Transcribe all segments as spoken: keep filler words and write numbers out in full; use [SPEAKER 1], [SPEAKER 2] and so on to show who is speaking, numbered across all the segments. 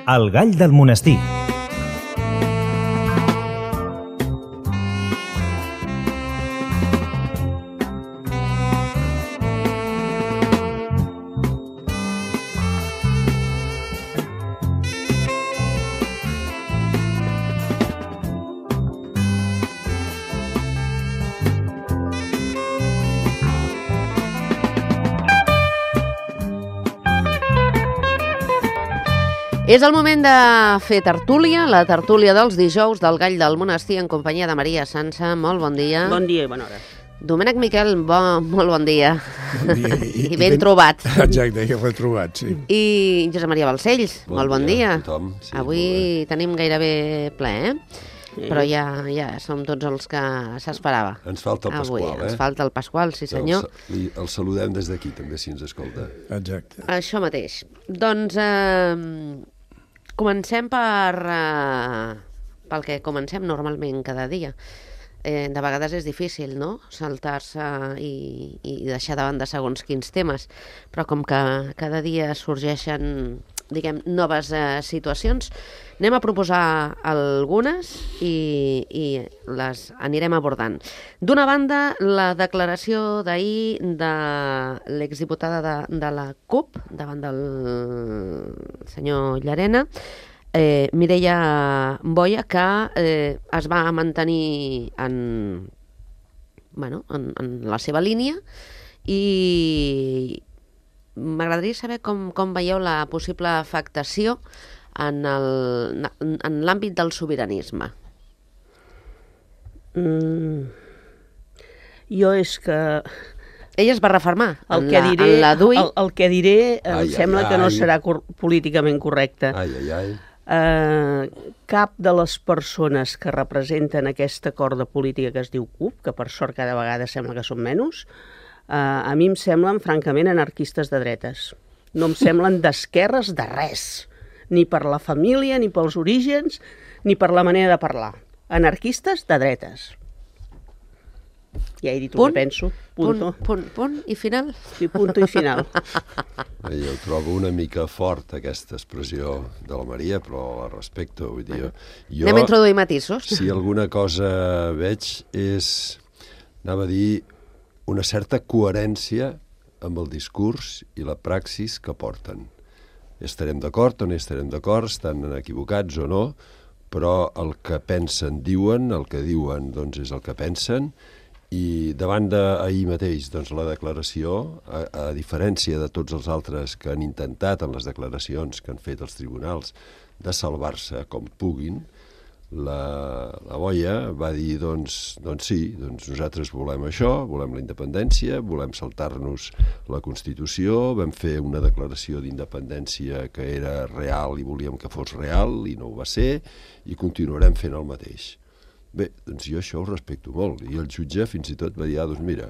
[SPEAKER 1] El gall del monestir.
[SPEAKER 2] És el moment de fer tertúlia, la tertúlia dels dijous del Gall del Monestir en companyia de Maria Sança. Molt bon dia.
[SPEAKER 3] Bon dia i bona hora.
[SPEAKER 2] Domènec Miquel, bo, molt bon dia.
[SPEAKER 4] Bon dia. I,
[SPEAKER 2] I ben, ben trobat.
[SPEAKER 4] Exacte, ja l'he trobat, sí.
[SPEAKER 2] I Josep Maria Balcells,
[SPEAKER 5] bon
[SPEAKER 2] molt bon dia.
[SPEAKER 5] dia. Tothom, sí,
[SPEAKER 2] avui tenim gairebé ple, eh? Sí. Però ja, ja som tots els que s'esperava.
[SPEAKER 5] Ens falta el
[SPEAKER 2] avui.
[SPEAKER 5] Pasqual, eh?
[SPEAKER 2] Ens falta el Pasqual, sí senyor.
[SPEAKER 5] El, el saludem des d'aquí, també, si ens escolta.
[SPEAKER 4] Exacte.
[SPEAKER 2] Això mateix. Doncs eh, comencem per, eh, pel que comencem normalment cada dia. Eh, de vegades és difícil, no?, saltar-se i, i deixar de banda segons quins temes, però com que cada dia sorgeixen, diguem, noves eh, situacions, anem a proposar algunes i, i les anirem abordant. D'una banda, la declaració d'ahir de l'exdiputada de, de la CUP davant del senyor Llarena, Eh, Mireia Boya, que eh, es va mantenir en, bueno, en, en la seva línia, i m'agradaria saber com, com veieu la possible afectació en el, en l'àmbit del sobiranisme.
[SPEAKER 3] Mm. Jo és que...
[SPEAKER 2] Ella es va refermar
[SPEAKER 3] el
[SPEAKER 2] en,
[SPEAKER 3] que
[SPEAKER 2] la,
[SPEAKER 3] diré,
[SPEAKER 2] en la D U I.
[SPEAKER 3] El, el que diré em
[SPEAKER 5] ai,
[SPEAKER 3] sembla
[SPEAKER 5] ai,
[SPEAKER 3] que no
[SPEAKER 5] ai.
[SPEAKER 3] serà cor políticament correcte.
[SPEAKER 5] Ai, ai, ai.
[SPEAKER 3] Uh, cap de les persones que representen aquesta corda política que es diu CUP, que per sort cada vegada sembla que són menys, uh, a mi em semblen francament anarquistes de dretes. No em semblen d'esquerres de res, ni per la família, ni pels orígens, ni per la manera de parlar. Anarquistes de dretes. Ja he dit el que penso. Punto.
[SPEAKER 2] Punt, punt, punt i final.
[SPEAKER 3] Sí, punto i final.
[SPEAKER 5] Bé, jo trobo una mica fort aquesta expressió de la Maria, però la respecto. Vull dir, jo,
[SPEAKER 2] Anem a introduir matisos.
[SPEAKER 5] Si alguna cosa veig és, anava a dir, una certa coherència amb el discurs i la praxis que porten. Estarem d'acord o no estarem d'acord, estan equivocats o no, però el que pensen diuen, el que diuen doncs és el que pensen. I davant d'ahir mateix, doncs, la declaració, a, a diferència de tots els altres que han intentat en les declaracions que han fet els tribunals de salvar-se com puguin, la, la Boya va dir, doncs, doncs sí, doncs nosaltres volem això, volem la independència, volem saltar-nos la Constitució, vam fer una declaració d'independència que era real i volíem que fos real i no ho va ser, i continuarem fent el mateix. Bé, doncs jo això ho respecto molt, i el jutge fins i tot va dir, ah, doncs mira,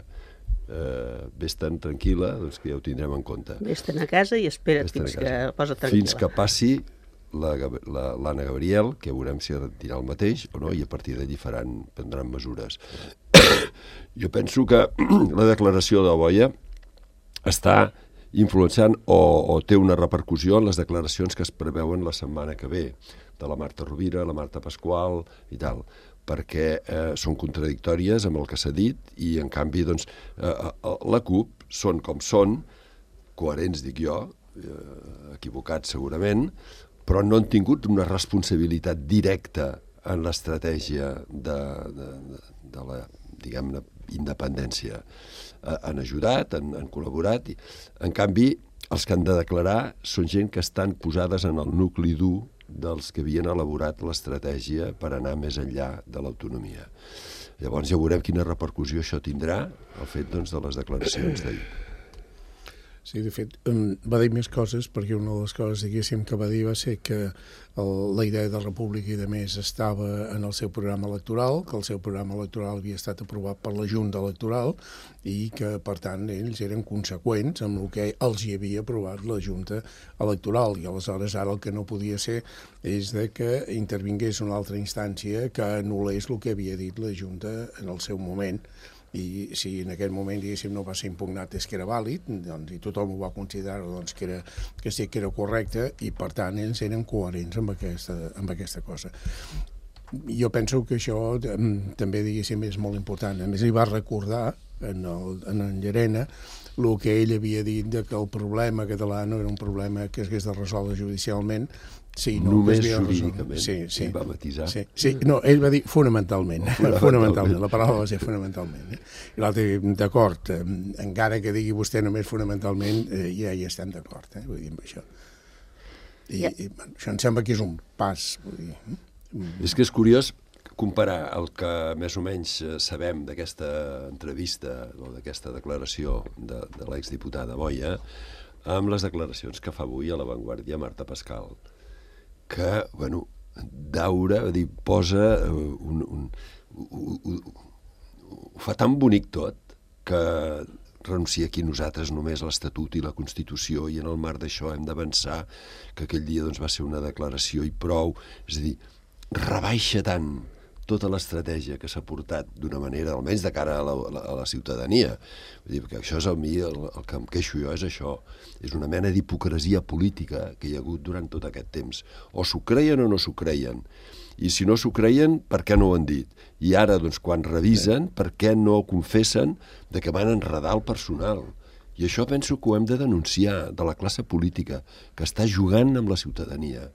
[SPEAKER 5] eh, vés-te'n tranquil·la, doncs que ja ho tindrem en compte.
[SPEAKER 3] Vés-te'n a casa i espera't fins que posa't tranquil·la. Fins
[SPEAKER 5] que passi l'Anna Gabriel, que veurem si dirà el mateix o no, i a partir d'allí faran, prendran mesures. Jo penso que la declaració de Boya està influenciant o, o té una repercussió en les declaracions que es preveuen la setmana que ve, de la Marta Rovira, la Marta Pasqual i tal, perquè eh, són contradictòries amb el que s'ha dit i, en canvi, doncs, eh, la CUP són com són, coherents, dic jo, eh, equivocats segurament, però no han tingut una responsabilitat directa en l'estratègia de, de, de, de la, diguem-ne, independència. Eh, han ajudat, han, han col·laborat, i, en canvi, els que han de declarar són gent que estan posades en el nucli dur dels que havien elaborat l'estratègia per anar més enllà de l'autonomia. Llavors ja veurem quina repercussió això tindrà, el fet, doncs, de les declaracions d'ahir.
[SPEAKER 4] Sí, de fet, va dir més coses, perquè una de les coses, diguéssim, que va dir va ser que el, la idea de república i de més estava en el seu programa electoral, que el seu programa electoral havia estat aprovat per la Junta Electoral i que, per tant, ells eren conseqüents amb el que els hi havia aprovat la Junta Electoral. I aleshores ara el que no podia ser és de que intervingués una altra instància que anul·lés el que havia dit la Junta en el seu moment. i si en aquell moment, diguéssim, no va ser impugnat és que era vàlid, doncs, i tothom ho va considerar doncs, que, era, que sí que era correcte, i per tant ells eren coherents amb aquesta, amb aquesta cosa. Jo penso que això també, diguéssim, és molt important. A més, li va recordar en, el, en, en Llarena el que ell havia dit de que el problema català no era un problema que es hagués de resoldre judicialment, sí, no,
[SPEAKER 5] només jurídicament,
[SPEAKER 4] sí, sí,
[SPEAKER 5] ell va matisar.
[SPEAKER 4] Sí, sí, no, ell va dir fonamentalment, fonamentalment, fonamentalment. La paraula va ser fonamentalment. Eh? I l'altre, d'acord, eh, encara que digui vostè només fonamentalment, eh, ja hi estem d'acord, eh? Vull dir, amb això. I, yeah. i bueno, això em sembla que és un pas, vull dir... Mm.
[SPEAKER 5] És que és curiós comparar el que més o menys sabem d'aquesta entrevista o d'aquesta declaració de, de l'exdiputada Boya amb les declaracions que fa avui a La Vanguardia Marta Pascal, que, bueno, daura, dir, posa un, un, un, un, ho fa tan bonic tot que renuncia aquí nosaltres només a l'Estatut i la Constitució, i en el marc d'això hem d'avançar, que aquell dia doncs, va ser una declaració i prou. És a dir, rebaixa tant tota l'estratègia que s'ha portat d'una manera, almenys de cara a la, a la, a la ciutadania. Vull dir, perquè això és el mi, el, el que em queixo jo és això. És una mena d'hipocresia política que hi ha hagut durant tot aquest temps. O s'ho creien o no s'ho creien. I si no s'ho creien, per què no ho han dit? I ara, doncs, quan revisen, per què no confessen de que van enredar el personal? I això penso que ho hem de denunciar de la classe política, que està jugant amb la ciutadania.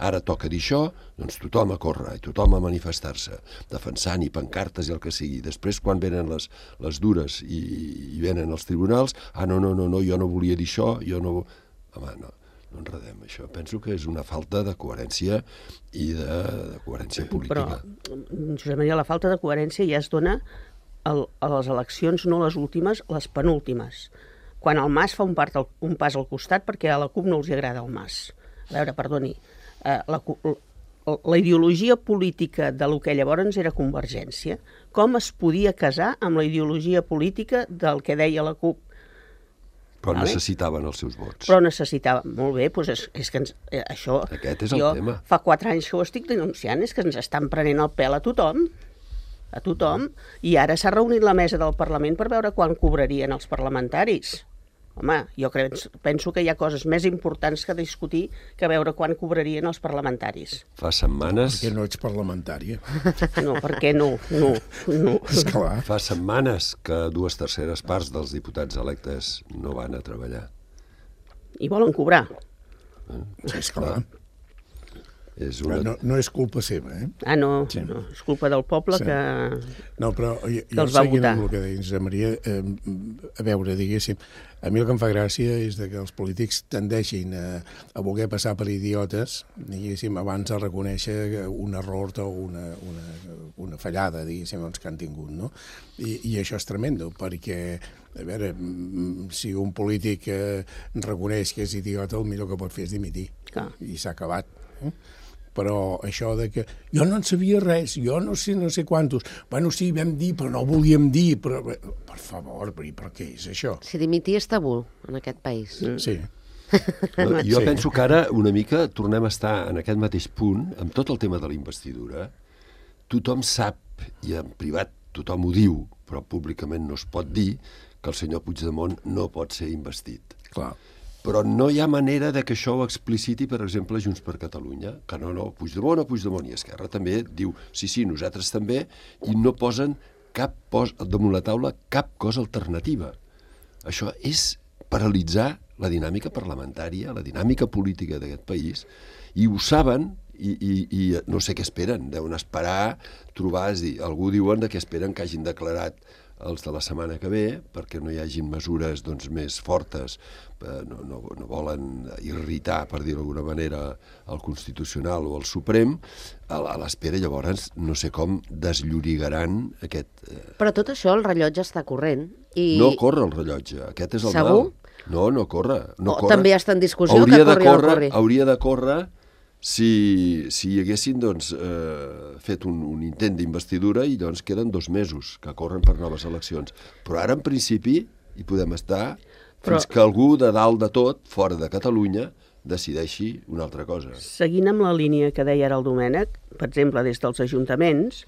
[SPEAKER 5] Ara toca dir això, doncs tothom a córrer i tothom a manifestar-se, defensant i pancartes i el que sigui. Després, quan venen les, les dures i, i venen els tribunals, ah, no, no, no, no, jo no volia dir això, jo no... Home, no, no enredem això. Penso que és una falta de coherència i de, de coherència política.
[SPEAKER 3] Però, Josep Maria, la falta de coherència ja es dona el, a les eleccions, no les últimes, les penúltimes. Quan el Mas fa un, part, un pas al costat perquè a la CUP no els agrada el Mas. A veure, perdoni, Uh, la, la ideologia política de lo que llavors era Convergència, com es podia casar amb la ideologia política del que deia la CUP?
[SPEAKER 5] Però
[SPEAKER 3] vale?
[SPEAKER 5] Necessitaven els seus vots.
[SPEAKER 3] Però necessitaven, molt bé, doncs és, és que ens, eh, això...
[SPEAKER 5] Aquest és el
[SPEAKER 3] jo
[SPEAKER 5] tema.
[SPEAKER 3] Fa quatre anys que ho estic denunciant, és que ens estan prenent el pèl a tothom, a tothom, i ara s'ha reunit la mesa del Parlament per veure quan cobrarien els parlamentaris. Home, jo crec, penso que hi ha coses més importants que discutir que veure quan cobrarien els parlamentaris.
[SPEAKER 5] Fa setmanes...
[SPEAKER 4] Perquè no ets parlamentària.
[SPEAKER 3] No, perquè no, no, no.
[SPEAKER 4] Esclar.
[SPEAKER 5] Fa setmanes que dues terceres parts dels diputats electes no van a treballar.
[SPEAKER 3] I volen cobrar.
[SPEAKER 5] Eh?
[SPEAKER 4] Sí, esclar.
[SPEAKER 5] És una...
[SPEAKER 4] no, no és culpa seva, eh?
[SPEAKER 3] Ah, no,
[SPEAKER 4] sí.
[SPEAKER 3] no, és culpa del poble sí. que...
[SPEAKER 4] No, però jo, jo
[SPEAKER 3] els va
[SPEAKER 4] seguint
[SPEAKER 3] votar.
[SPEAKER 4] amb el que deia Josep Maria, eh, a veure, diguéssim, a mi el que em fa gràcia és de que els polítics tendeixin a, a voler passar per idiotes, diguéssim, abans de reconèixer un error o una, una, una fallada, diguéssim, doncs, que han tingut, no? I, i això és tremendo, perquè, a veure, si un polític eh, reconeix que és idiota, el millor que pot fer és dimitir.
[SPEAKER 3] Clar.
[SPEAKER 4] I s'ha acabat. Eh? Però això de que jo no en sabia res, jo no sé no sé quantos, bueno, sí, vam dir, però no volíem dir, però, per favor, per, per què és això?
[SPEAKER 2] Si dimitir és tabú en aquest país.
[SPEAKER 4] Sí.
[SPEAKER 5] No, jo
[SPEAKER 4] sí.
[SPEAKER 5] penso que ara una mica tornem a estar en aquest mateix punt, amb tot el tema de la investidura. Tothom sap, i en privat tothom ho diu, però públicament no es pot dir, que el senyor Puigdemont no pot ser investit.
[SPEAKER 4] Clar.
[SPEAKER 5] Però no hi ha manera de que això ho expliciti, per exemple, Junts per Catalunya, que no, no, Puigdemont o Puigdemont, i Esquerra també diu, sí, sí, nosaltres també, i no posen cap pos, damunt la taula cap cosa alternativa. Això és paralitzar la dinàmica parlamentària, la dinàmica política d'aquest país, i ho saben, i, i, i no sé què esperen, deuen esperar trobar, és dir, algú diuen que esperen que hagin declarat els de la setmana que ve, perquè no hi hagin mesures doncs, més fortes, no, no, no volen irritar, per dir-ho d'alguna manera, el Constitucional o el Suprem, a, a l'espera llavors no sé com desllorigaran aquest... Eh...
[SPEAKER 2] Però tot això el rellotge està corrent. I...
[SPEAKER 5] No corre el rellotge, aquest és el
[SPEAKER 2] Segur?
[SPEAKER 5] mal. No, no corre. No
[SPEAKER 2] o
[SPEAKER 5] corre.
[SPEAKER 2] també està en discussió
[SPEAKER 5] hauria
[SPEAKER 2] que corri
[SPEAKER 5] de
[SPEAKER 2] o no
[SPEAKER 5] córrer,
[SPEAKER 2] corri.
[SPEAKER 5] Hauria de córrer si, si hi haguessin doncs, eh, fet un, un intent d'investidura i llavors queden dos mesos que corren per noves eleccions. Però ara, en principi, hi podem estar
[SPEAKER 3] Però...
[SPEAKER 5] fins que algú de dalt de tot, fora de Catalunya, decideixi una altra cosa.
[SPEAKER 3] Seguint amb la línia que deia ara el Domènec, per exemple, des dels ajuntaments,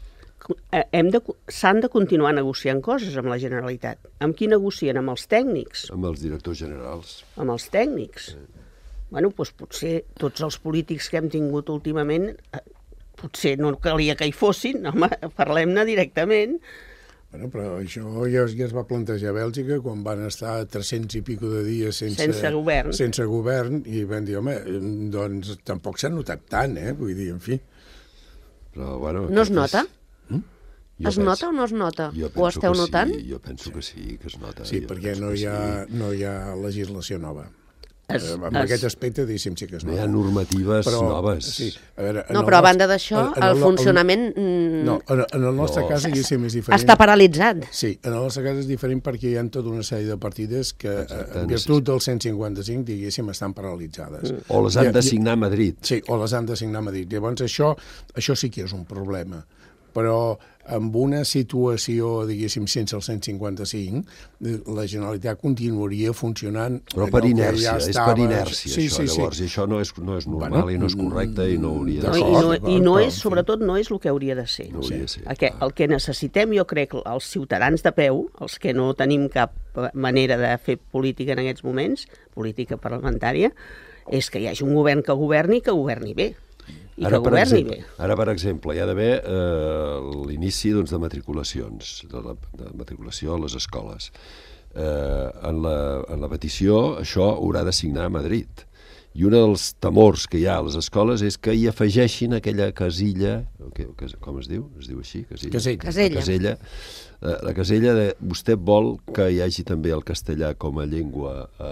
[SPEAKER 3] hem de, s'han de continuar negociant coses amb la Generalitat. Amb qui negocien? Amb els tècnics?
[SPEAKER 5] Amb els directors generals.
[SPEAKER 3] Amb els tècnics. Bueno, doncs potser tots els polítics que hem tingut últimament, potser no calia que hi fossin, home, parlem-ne directament.
[SPEAKER 4] Bueno, però això ja, ja es va plantejar a Bèlgica quan van estar tres-cents i pico de dies sense,
[SPEAKER 3] sense govern.
[SPEAKER 4] sense govern i van dir, home, doncs tampoc s'ha notat tant, eh? Vull dir, en fi.
[SPEAKER 5] Però, bueno,
[SPEAKER 2] no es nota?
[SPEAKER 4] Mm?
[SPEAKER 2] Es penso, nota o no es nota? Ho esteu notant?
[SPEAKER 5] Sí, jo penso que sí, que es nota.
[SPEAKER 4] Sí, perquè no hi, ha, sí. no hi ha legislació nova. Es, en es, aquest aspecte, diguéssim, sí que és nova.
[SPEAKER 5] No hi ha normatives
[SPEAKER 4] però,
[SPEAKER 5] noves.
[SPEAKER 4] Sí, a veure,
[SPEAKER 2] no, però a banda d'això, el, el funcionament...
[SPEAKER 4] No, en, en el nostre no. cas, diguéssim, és diferent.
[SPEAKER 2] Està paralitzat.
[SPEAKER 4] Sí, en el nostre cas és diferent perquè hi ha tota una sèrie de partides que, Exacte, en virtut del cent cinquanta-cinc, diguéssim, estan paralitzades.
[SPEAKER 5] O les han de signar a Madrid.
[SPEAKER 4] Sí, o les han de signar a Madrid. Llavors, això, això sí que és un problema. Però amb una situació, diguéssim, sense el cent cinquanta-cinc, la Generalitat continuaria funcionant...
[SPEAKER 5] Però per inèrcia, ja és per inèrcia, sí, això, sí, llavors, sí. I això no és, no és normal bueno, i no és correcte i no hauria de ser.
[SPEAKER 3] I no, i no és, sobretot, no és el que hauria de ser.
[SPEAKER 5] No hauria de ser.
[SPEAKER 3] El que, el que necessitem, jo crec, els ciutadans de peu, els que no tenim cap manera de fer política en aquests moments, política parlamentària, és que hi hagi un govern que governi i que governi bé. I
[SPEAKER 5] ara,
[SPEAKER 3] que
[SPEAKER 5] per
[SPEAKER 3] governi
[SPEAKER 5] exemple,
[SPEAKER 3] bé.
[SPEAKER 5] Ara, per exemple, hi ha d'haver eh, l'inici doncs, de matriculacions, de, la, de matriculació a les escoles. Eh, en, la, en la petició, això haurà de signar a Madrid. I un dels temors que hi ha a les escoles és que hi afegeixin aquella casilla, que, que, com es diu? Es diu així? Casilla.
[SPEAKER 4] Casella.
[SPEAKER 2] Casella.
[SPEAKER 5] La casella, eh, la casella de vostè vol que hi hagi també el castellà com a llengua eh,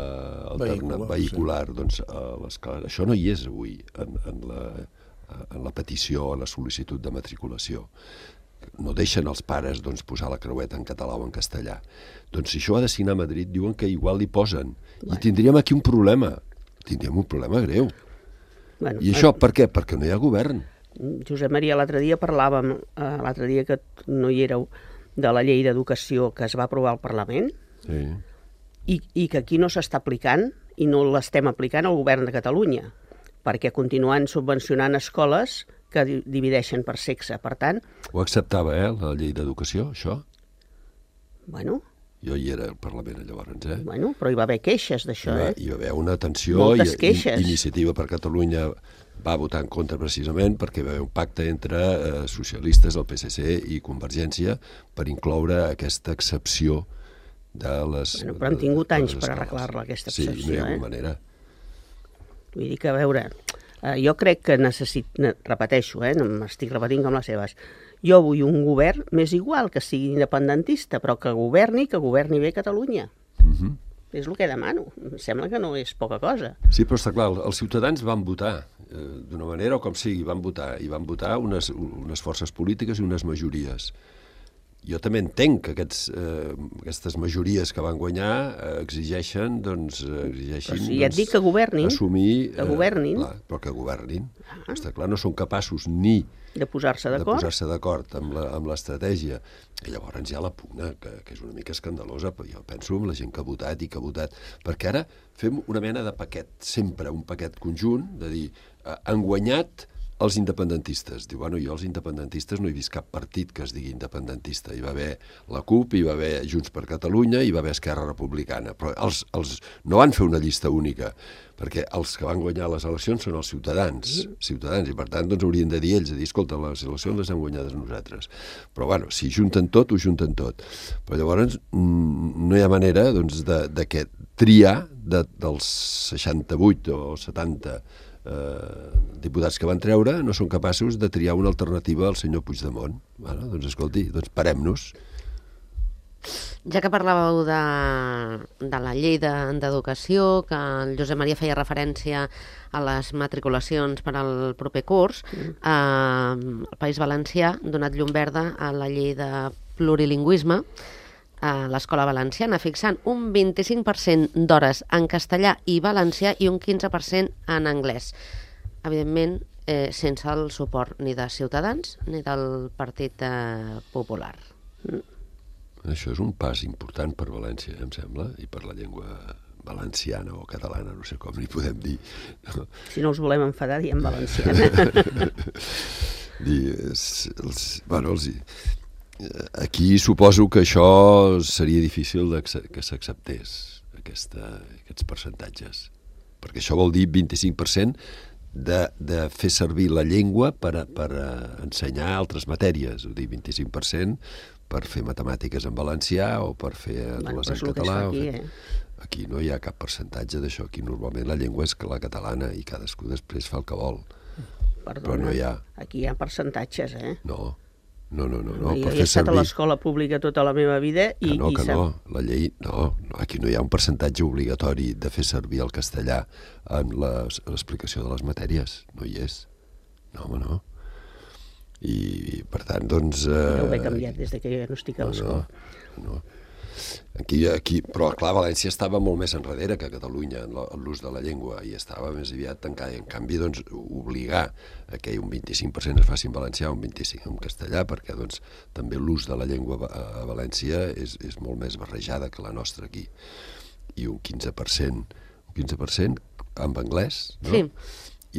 [SPEAKER 5] alterna, vehicular, vehicular sí. Doncs a l'escola. Això no hi és avui en, en la... en la petició, en la sol·licitud de matriculació. No deixen els pares doncs, posar la creueta en català o en castellà. Doncs si això ha de signar a Madrid, diuen que igual li posen. Bueno. I tindríem aquí un problema. Tindríem un problema greu.
[SPEAKER 3] Bueno,
[SPEAKER 5] I això per què? Perquè no hi ha govern.
[SPEAKER 3] Josep Maria, l'altre dia parlàvem, eh, l'altre dia que no hi éreu, de la llei d'educació que es va aprovar al Parlament,
[SPEAKER 5] sí.
[SPEAKER 3] i, i que aquí no s'està aplicant i no l'estem aplicant al govern de Catalunya, perquè continuen subvencionant escoles que divideixen per sexe. Per tant...
[SPEAKER 5] Ho acceptava, eh, la llei d'educació, això?
[SPEAKER 3] Bueno...
[SPEAKER 5] Jo hi era al Parlament, llavors, eh?
[SPEAKER 3] Bueno, però hi va haver queixes d'això, eh?
[SPEAKER 5] Hi va haver una tensió...
[SPEAKER 3] Moltes
[SPEAKER 5] i,
[SPEAKER 3] queixes.
[SPEAKER 5] I, Iniciativa per Catalunya va votar en contra precisament perquè hi va haver un pacte entre eh, socialistes, el P S C i Convergència per incloure aquesta excepció de les...
[SPEAKER 3] Bueno, però han tingut anys per arreglar-la, aquesta excepció, eh?
[SPEAKER 5] Sí, no hi ha hagut manera.
[SPEAKER 3] Vull dir que, a veure, eh, jo crec que necessit, repeteixo, eh, m'estic repetint com les seves, jo vull un govern més igual, que sigui independentista, però que governi, que governi bé Catalunya.
[SPEAKER 5] Uh-huh.
[SPEAKER 3] És el que demano. Em sembla que no és poca cosa.
[SPEAKER 5] Sí, però està clar, els ciutadans van votar, eh, d'una manera o com sigui, van votar, i van votar unes, unes forces polítiques i unes majories. Jo també entenc que aquests, eh, aquestes majories que van guanyar eh, exigeixen, doncs, exigeixin,
[SPEAKER 3] però si ja et
[SPEAKER 5] doncs,
[SPEAKER 3] dic que governin,
[SPEAKER 5] assumir...
[SPEAKER 3] que governin.
[SPEAKER 5] Eh, clar, però que governin. Ah. Està clar, no són capaços ni
[SPEAKER 3] de posar-se d'acord,
[SPEAKER 5] de posar-se d'acord amb la, amb l'estratègia. I llavors hi ha la pugna, que, que és una mica escandalosa, però jo penso en la gent que ha votat i que ha votat. Perquè ara fem una mena de paquet, sempre un paquet conjunt, de dir, eh, han guanyat els independentistes. Diu, bueno, jo els independentistes no he vist cap partit que es digui independentista. Hi va haver la CUP, hi va haver Junts per Catalunya, hi va haver Esquerra Republicana. Però els, els no van fer una llista única, perquè els que van guanyar les eleccions són els ciutadans, ciutadans, i per tant doncs haurien de dir ells, de dir, escolta, les eleccions les hem guanyades nosaltres. Però bueno, si junten tot, ho junten tot. Però llavors no hi ha manera doncs, de, de que triar de, dels seixanta-vuit o setanta Eh, diputats que van treure no són capaços de triar una alternativa al senyor Puigdemont. Bueno, doncs escolti, doncs parem-nos.
[SPEAKER 2] Ja que parlàveu de, de la llei d'educació, de, que el Josep Maria feia referència a les matriculacions per al proper curs, mm. eh, el País Valencià ha donat llum verda a la llei de plurilingüisme a l'Escola Valenciana, fixant un vint-i-cinc per cent d'hores en castellà i valencià i un quinze per cent en anglès. Evidentment, eh, sense el suport ni de Ciutadans ni del Partit eh, Popular.
[SPEAKER 5] Mm. Això és un pas important per València, em sembla, i per la llengua valenciana o catalana, no sé com li podem dir.
[SPEAKER 3] Si no us volem enfadar, diem valenciana.
[SPEAKER 5] Dir, els, els, bueno, els, aquí suposo que això seria difícil que s'acceptés, aquesta, aquests percentatges. Perquè això vol dir vint-i-cinc per cent de, de fer servir la llengua per, a, per a ensenyar altres matèries. Vull dir, vint-i-cinc per cent per fer matemàtiques en valencià o per fer
[SPEAKER 3] bueno,
[SPEAKER 5] les en català.
[SPEAKER 3] Aquí,
[SPEAKER 5] fer...
[SPEAKER 3] eh?
[SPEAKER 5] Aquí no hi ha cap percentatge d'això. Aquí normalment la llengua és la catalana i cadascú després fa el que vol.
[SPEAKER 3] Perdona,
[SPEAKER 5] però no hi ha.
[SPEAKER 3] Aquí hi ha percentatges, eh?
[SPEAKER 5] No, no, no. no, no
[SPEAKER 3] jo
[SPEAKER 5] per
[SPEAKER 3] he
[SPEAKER 5] fer
[SPEAKER 3] estat
[SPEAKER 5] servir...
[SPEAKER 3] a l'escola pública tota la meva vida i...
[SPEAKER 5] Que no,
[SPEAKER 3] i
[SPEAKER 5] que
[SPEAKER 3] sap...
[SPEAKER 5] no. La llei... No, no, aquí no hi ha un percentatge obligatori de fer servir el castellà en l'explicació de les matèries. No hi és. No, home, no. I, per tant, doncs... Eh...
[SPEAKER 3] Ja ho he canviat des de que jo no estic a l'escola.
[SPEAKER 5] No, no. Aquí, aquí, però clar, València estava molt més enrere que Catalunya en l'ús de la llengua i estava més aviat tancada. I en canvi, doncs, obligar a que un vint-i-cinc per cent es faci en valencià, un vint-i-cinc per cent en castellà, perquè doncs, també l'ús de la llengua a València és, és molt més barrejada que la nostra aquí. I un quinze per cent, un quinze per cent en anglès, no?
[SPEAKER 2] Sí.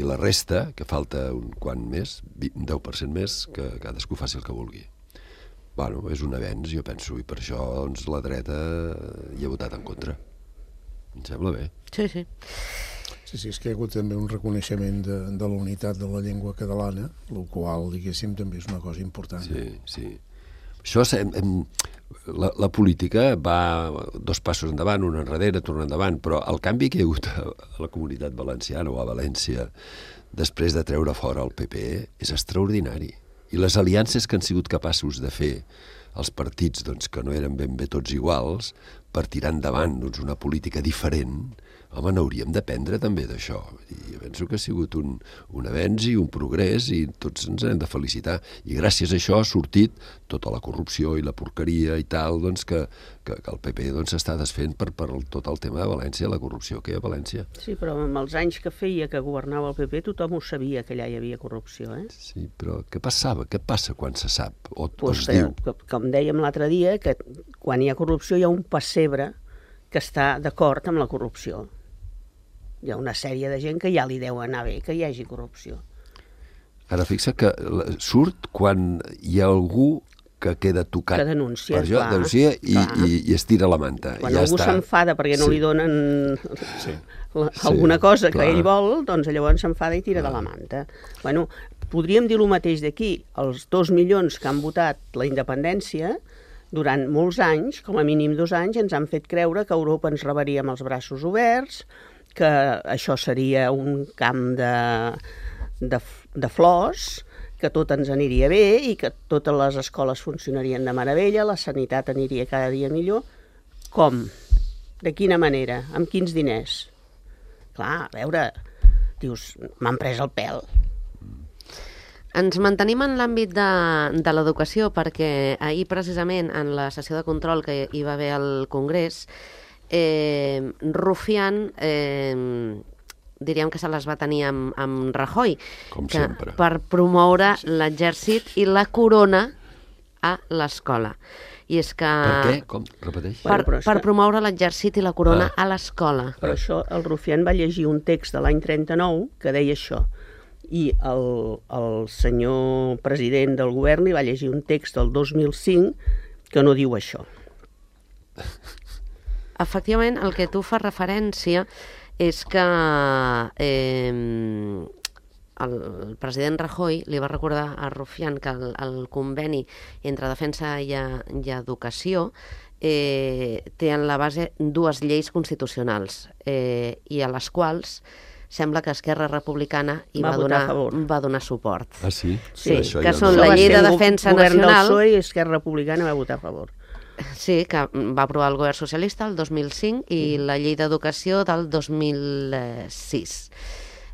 [SPEAKER 5] I la resta, que falta un quant més, un deu per cent més, que cadascú faci el que vulgui. Bueno, és un avenç, jo penso, i per això doncs, la dreta hi ha votat en contra. Em sembla bé.
[SPEAKER 2] Sí, sí.
[SPEAKER 4] Sí, sí, és que hi ha hagut també un reconeixement de, de la unitat de la llengua catalana, el qual, diguéssim, també és una cosa important.
[SPEAKER 5] Sí, sí. Això, hem, hem, la, la política va dos passos endavant, un enrere, torna endavant, però el canvi que hi ha hagut a, a la comunitat valenciana o a València després de treure fora el P P és extraordinari. I les aliances que han sigut capaços de fer els partits doncs, que no eren ben bé tots iguals per tirar endavant doncs, una política diferent, home, n'hauríem d'aprendre també d'això. I penso que ha sigut un, un avenç i un progrés i tots ens hem de felicitar. I gràcies a això ha sortit tota la corrupció i la porqueria i tal, doncs, que, que, que el P P doncs, està desfent per, per tot el tema de València, la corrupció que hi ha a València.
[SPEAKER 3] Sí, però amb els anys que feia que governava el P P tothom ho sabia que allà hi havia corrupció, eh?
[SPEAKER 5] Sí, però què passava? Què passa quan se sap o,
[SPEAKER 3] pues,
[SPEAKER 5] o es diu?
[SPEAKER 3] Que, com dèiem l'altre dia, que quan hi ha corrupció hi ha un pessebre que està d'acord amb la corrupció. Hi ha una sèrie de gent que ja li deu anar bé que hi hagi corrupció.
[SPEAKER 5] Ara fixa que surt quan hi ha algú que queda tocat
[SPEAKER 3] que denuncia,
[SPEAKER 5] per jo,
[SPEAKER 3] clar,
[SPEAKER 5] denuncia i,
[SPEAKER 3] clar.
[SPEAKER 5] i, i es tira la manta.
[SPEAKER 3] Quan
[SPEAKER 5] ja
[SPEAKER 3] algú
[SPEAKER 5] està.
[SPEAKER 3] s'enfada perquè no
[SPEAKER 5] Sí.
[SPEAKER 3] li donen
[SPEAKER 4] Sí.
[SPEAKER 3] la, alguna cosa
[SPEAKER 5] Sí,
[SPEAKER 3] que
[SPEAKER 5] clar.
[SPEAKER 3] ell vol, doncs llavors s'enfada i tira de la manta. Bueno, podríem dir el mateix d'aquí. Els dos milions que han votat la independència durant molts anys, com a mínim dos anys, ens han fet creure que Europa ens rebaria amb els braços oberts, que això seria un camp de, de, de flors, que tot ens aniria bé i que totes les escoles funcionarien de meravella, la sanitat aniria cada dia millor. Com? De quina manera? Amb quins diners? Clar, a veure, dius, m'han pres el pèl.
[SPEAKER 2] Ens mantenim en l'àmbit de, de l'educació perquè ahir precisament en la sessió de control que hi va haver al Congrés, eh, Rufián eh, diríem que se les va tenir amb, amb Rajoy,
[SPEAKER 5] Com
[SPEAKER 2] que,
[SPEAKER 5] sempre.
[SPEAKER 2] per promoure l'exèrcit i la corona a l'escola. I és que...
[SPEAKER 5] Per què? Com? Repeteix?
[SPEAKER 2] Per,
[SPEAKER 3] Bueno, però és
[SPEAKER 2] per
[SPEAKER 3] que-
[SPEAKER 2] promoure l'exèrcit i la corona
[SPEAKER 5] Ah.
[SPEAKER 2] a l'escola.
[SPEAKER 3] Però això, el Rufián va llegir un text de l'any trenta-nou que deia això. I el, el senyor president del govern li va llegir un text del dos mil cinc que no diu això.
[SPEAKER 2] Efectivament, el que tu fas referència és que eh, el president Rajoy li va recordar a Rufián que el, el conveni entre defensa i, i educació eh, té en la base dues lleis constitucionals eh, i a les quals sembla que Esquerra Republicana hi
[SPEAKER 3] Va
[SPEAKER 2] va,
[SPEAKER 3] votar
[SPEAKER 2] donar,
[SPEAKER 3] a favor.
[SPEAKER 2] va donar suport.
[SPEAKER 5] Ah, sí?
[SPEAKER 2] Sí,
[SPEAKER 5] Això
[SPEAKER 2] que
[SPEAKER 5] ja
[SPEAKER 2] són
[SPEAKER 5] no.
[SPEAKER 2] la
[SPEAKER 3] Això va
[SPEAKER 2] llei
[SPEAKER 3] ser
[SPEAKER 2] de
[SPEAKER 3] un go-
[SPEAKER 2] defensa
[SPEAKER 3] govern
[SPEAKER 2] nacional.
[SPEAKER 3] del P S O E i Esquerra Republicana va votar a favor.
[SPEAKER 2] Sí, que va aprovar el govern socialista el dos mil cinc i la llei d'educació del dos mil sis.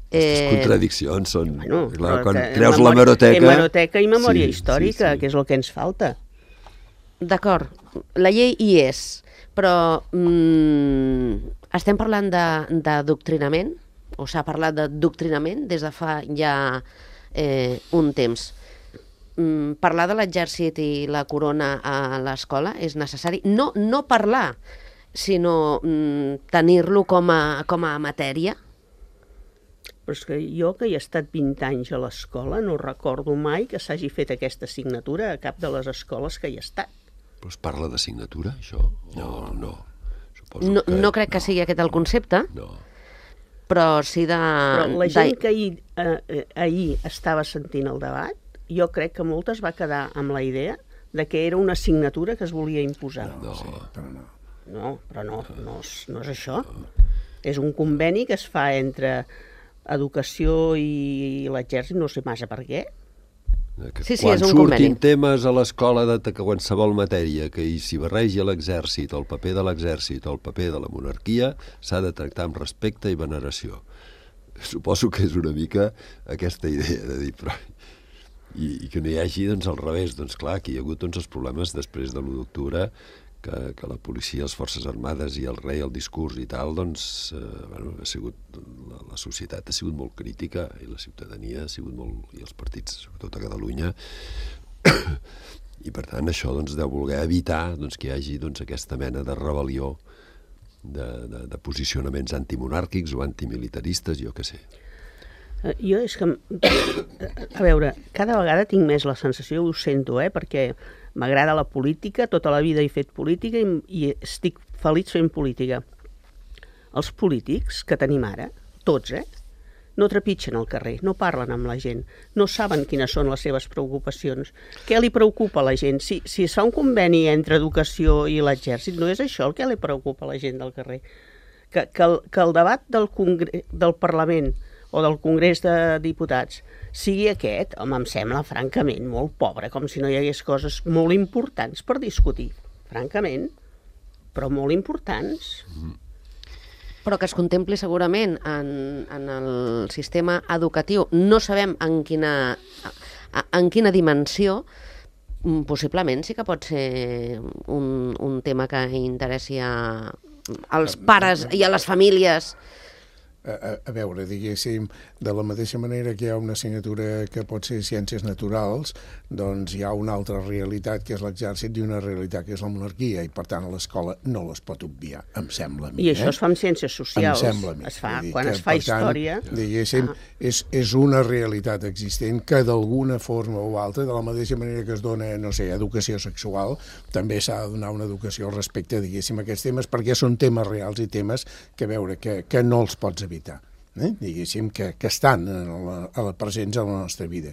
[SPEAKER 5] Aquestes contradiccions són...
[SPEAKER 3] Bueno,
[SPEAKER 5] clar,
[SPEAKER 3] però
[SPEAKER 5] quan
[SPEAKER 3] que
[SPEAKER 5] treus
[SPEAKER 3] memòria-
[SPEAKER 5] l'hemeroteca...
[SPEAKER 3] Hemeroteca i memòria
[SPEAKER 5] Sí,
[SPEAKER 3] històrica,
[SPEAKER 5] sí, sí.
[SPEAKER 3] que és el que ens falta.
[SPEAKER 2] D'acord, la llei hi és, però mm, estem parlant de- d'adoctrinament, o s'ha parlat d'adoctrinament des de fa ja eh, un temps. Mm, parlar de l'exèrcit i la corona a l'escola és necessari. No, no parlar, sinó mm, tenir-lo com a, com a matèria.
[SPEAKER 3] però és que jo, que hi he estat vint anys a l'escola, no recordo mai que s'hagi fet aquesta assignatura a cap de les escoles que hi he estat.
[SPEAKER 5] Però es parla d'assignatura, això? No, no. Suposo
[SPEAKER 2] No,
[SPEAKER 5] que...
[SPEAKER 2] no crec que sigui aquest el concepte,
[SPEAKER 5] No.
[SPEAKER 2] però sí de...
[SPEAKER 3] Però la gent
[SPEAKER 2] de-
[SPEAKER 3] que ahir, eh, eh, ahir estava sentint el debat, jo crec que moltes va quedar amb la idea de que era una assignatura que es volia imposar.
[SPEAKER 5] No.
[SPEAKER 4] Sí, però no.
[SPEAKER 3] No, però no, no és, no és això. És un conveni que es fa entre educació i l'exèrcit, no sé massa per què.
[SPEAKER 5] Que
[SPEAKER 2] Sí, sí,
[SPEAKER 5] quan
[SPEAKER 2] és un
[SPEAKER 5] surtin
[SPEAKER 2] conveni.
[SPEAKER 5] temes a l'escola de de qualsevol matèria que hi s'hi barregi l'exèrcit, el paper de l'exèrcit o el paper de la monarquia, s'ha de tractar amb respecte i veneració. Suposo que és una mica aquesta idea de dir, però... I, i que no hi hagi, doncs, al revés. Doncs clar, aquí hi ha hagut doncs, els problemes després de l'u d'octubre, que, que la policia, les forces armades i el rei, el discurs i tal, doncs, eh, bueno, ha sigut, la, la societat ha sigut molt crítica i la ciutadania ha sigut molt, i els partits, sobretot a Catalunya, i per tant això doncs, deu voler evitar doncs, que hi hagi doncs, aquesta mena de rebel·lió de, de, de posicionaments antimonàrquics o antimilitaristes, jo què sé.
[SPEAKER 3] Eh, Jo és que, a veure, cada vegada tinc més la sensació, ho sento, eh, perquè m'agrada la política, tota la vida he fet política i, i estic feliç fent política. Els polítics que tenim ara, tots, eh, no trepitgen al carrer, no parlen amb la gent, no saben quines són les seves preocupacions. Què li preocupa a la gent? Si, si es fa un conveni entre educació i l'exèrcit, no és això el que li preocupa a la gent del carrer. Que, que, el, que el debat del, Congre del Parlament o del Congrés de Diputats sigui aquest, home, em sembla francament molt pobre, com si no hi hagués coses molt importants per discutir, francament, però molt importants.
[SPEAKER 2] però que es contempli segurament en, en el sistema educatiu. No sabem en quina, en quina dimensió, possiblement sí que pot ser un, un tema que interessi a, als pares i a les famílies.
[SPEAKER 4] A, a veure, diguéssim, de la mateixa manera que hi ha una assignatura que pot ser ciències naturals, doncs hi ha una altra realitat que és l'exèrcit i una realitat que és la monarquia, i per tant a l'escola no les pot obviar, em sembla a mi.
[SPEAKER 3] I això
[SPEAKER 4] eh?
[SPEAKER 3] es fa amb ciències socials,
[SPEAKER 4] em sembla a mi.
[SPEAKER 3] es fa
[SPEAKER 4] Vull dir
[SPEAKER 3] quan
[SPEAKER 4] que,
[SPEAKER 3] es fa
[SPEAKER 4] per tant,
[SPEAKER 3] història.
[SPEAKER 4] Diguéssim, ah. és, és una realitat existent que d'alguna forma o altra, de la mateixa manera que es dona, no sé, educació sexual, també s'ha de donar una educació respecte, diguéssim, a aquests temes, perquè són temes reals i temes que, veure, que, que no els pots evitar. Eh? Diguéssim, que, que estan a la, a la presents a la nostra vida.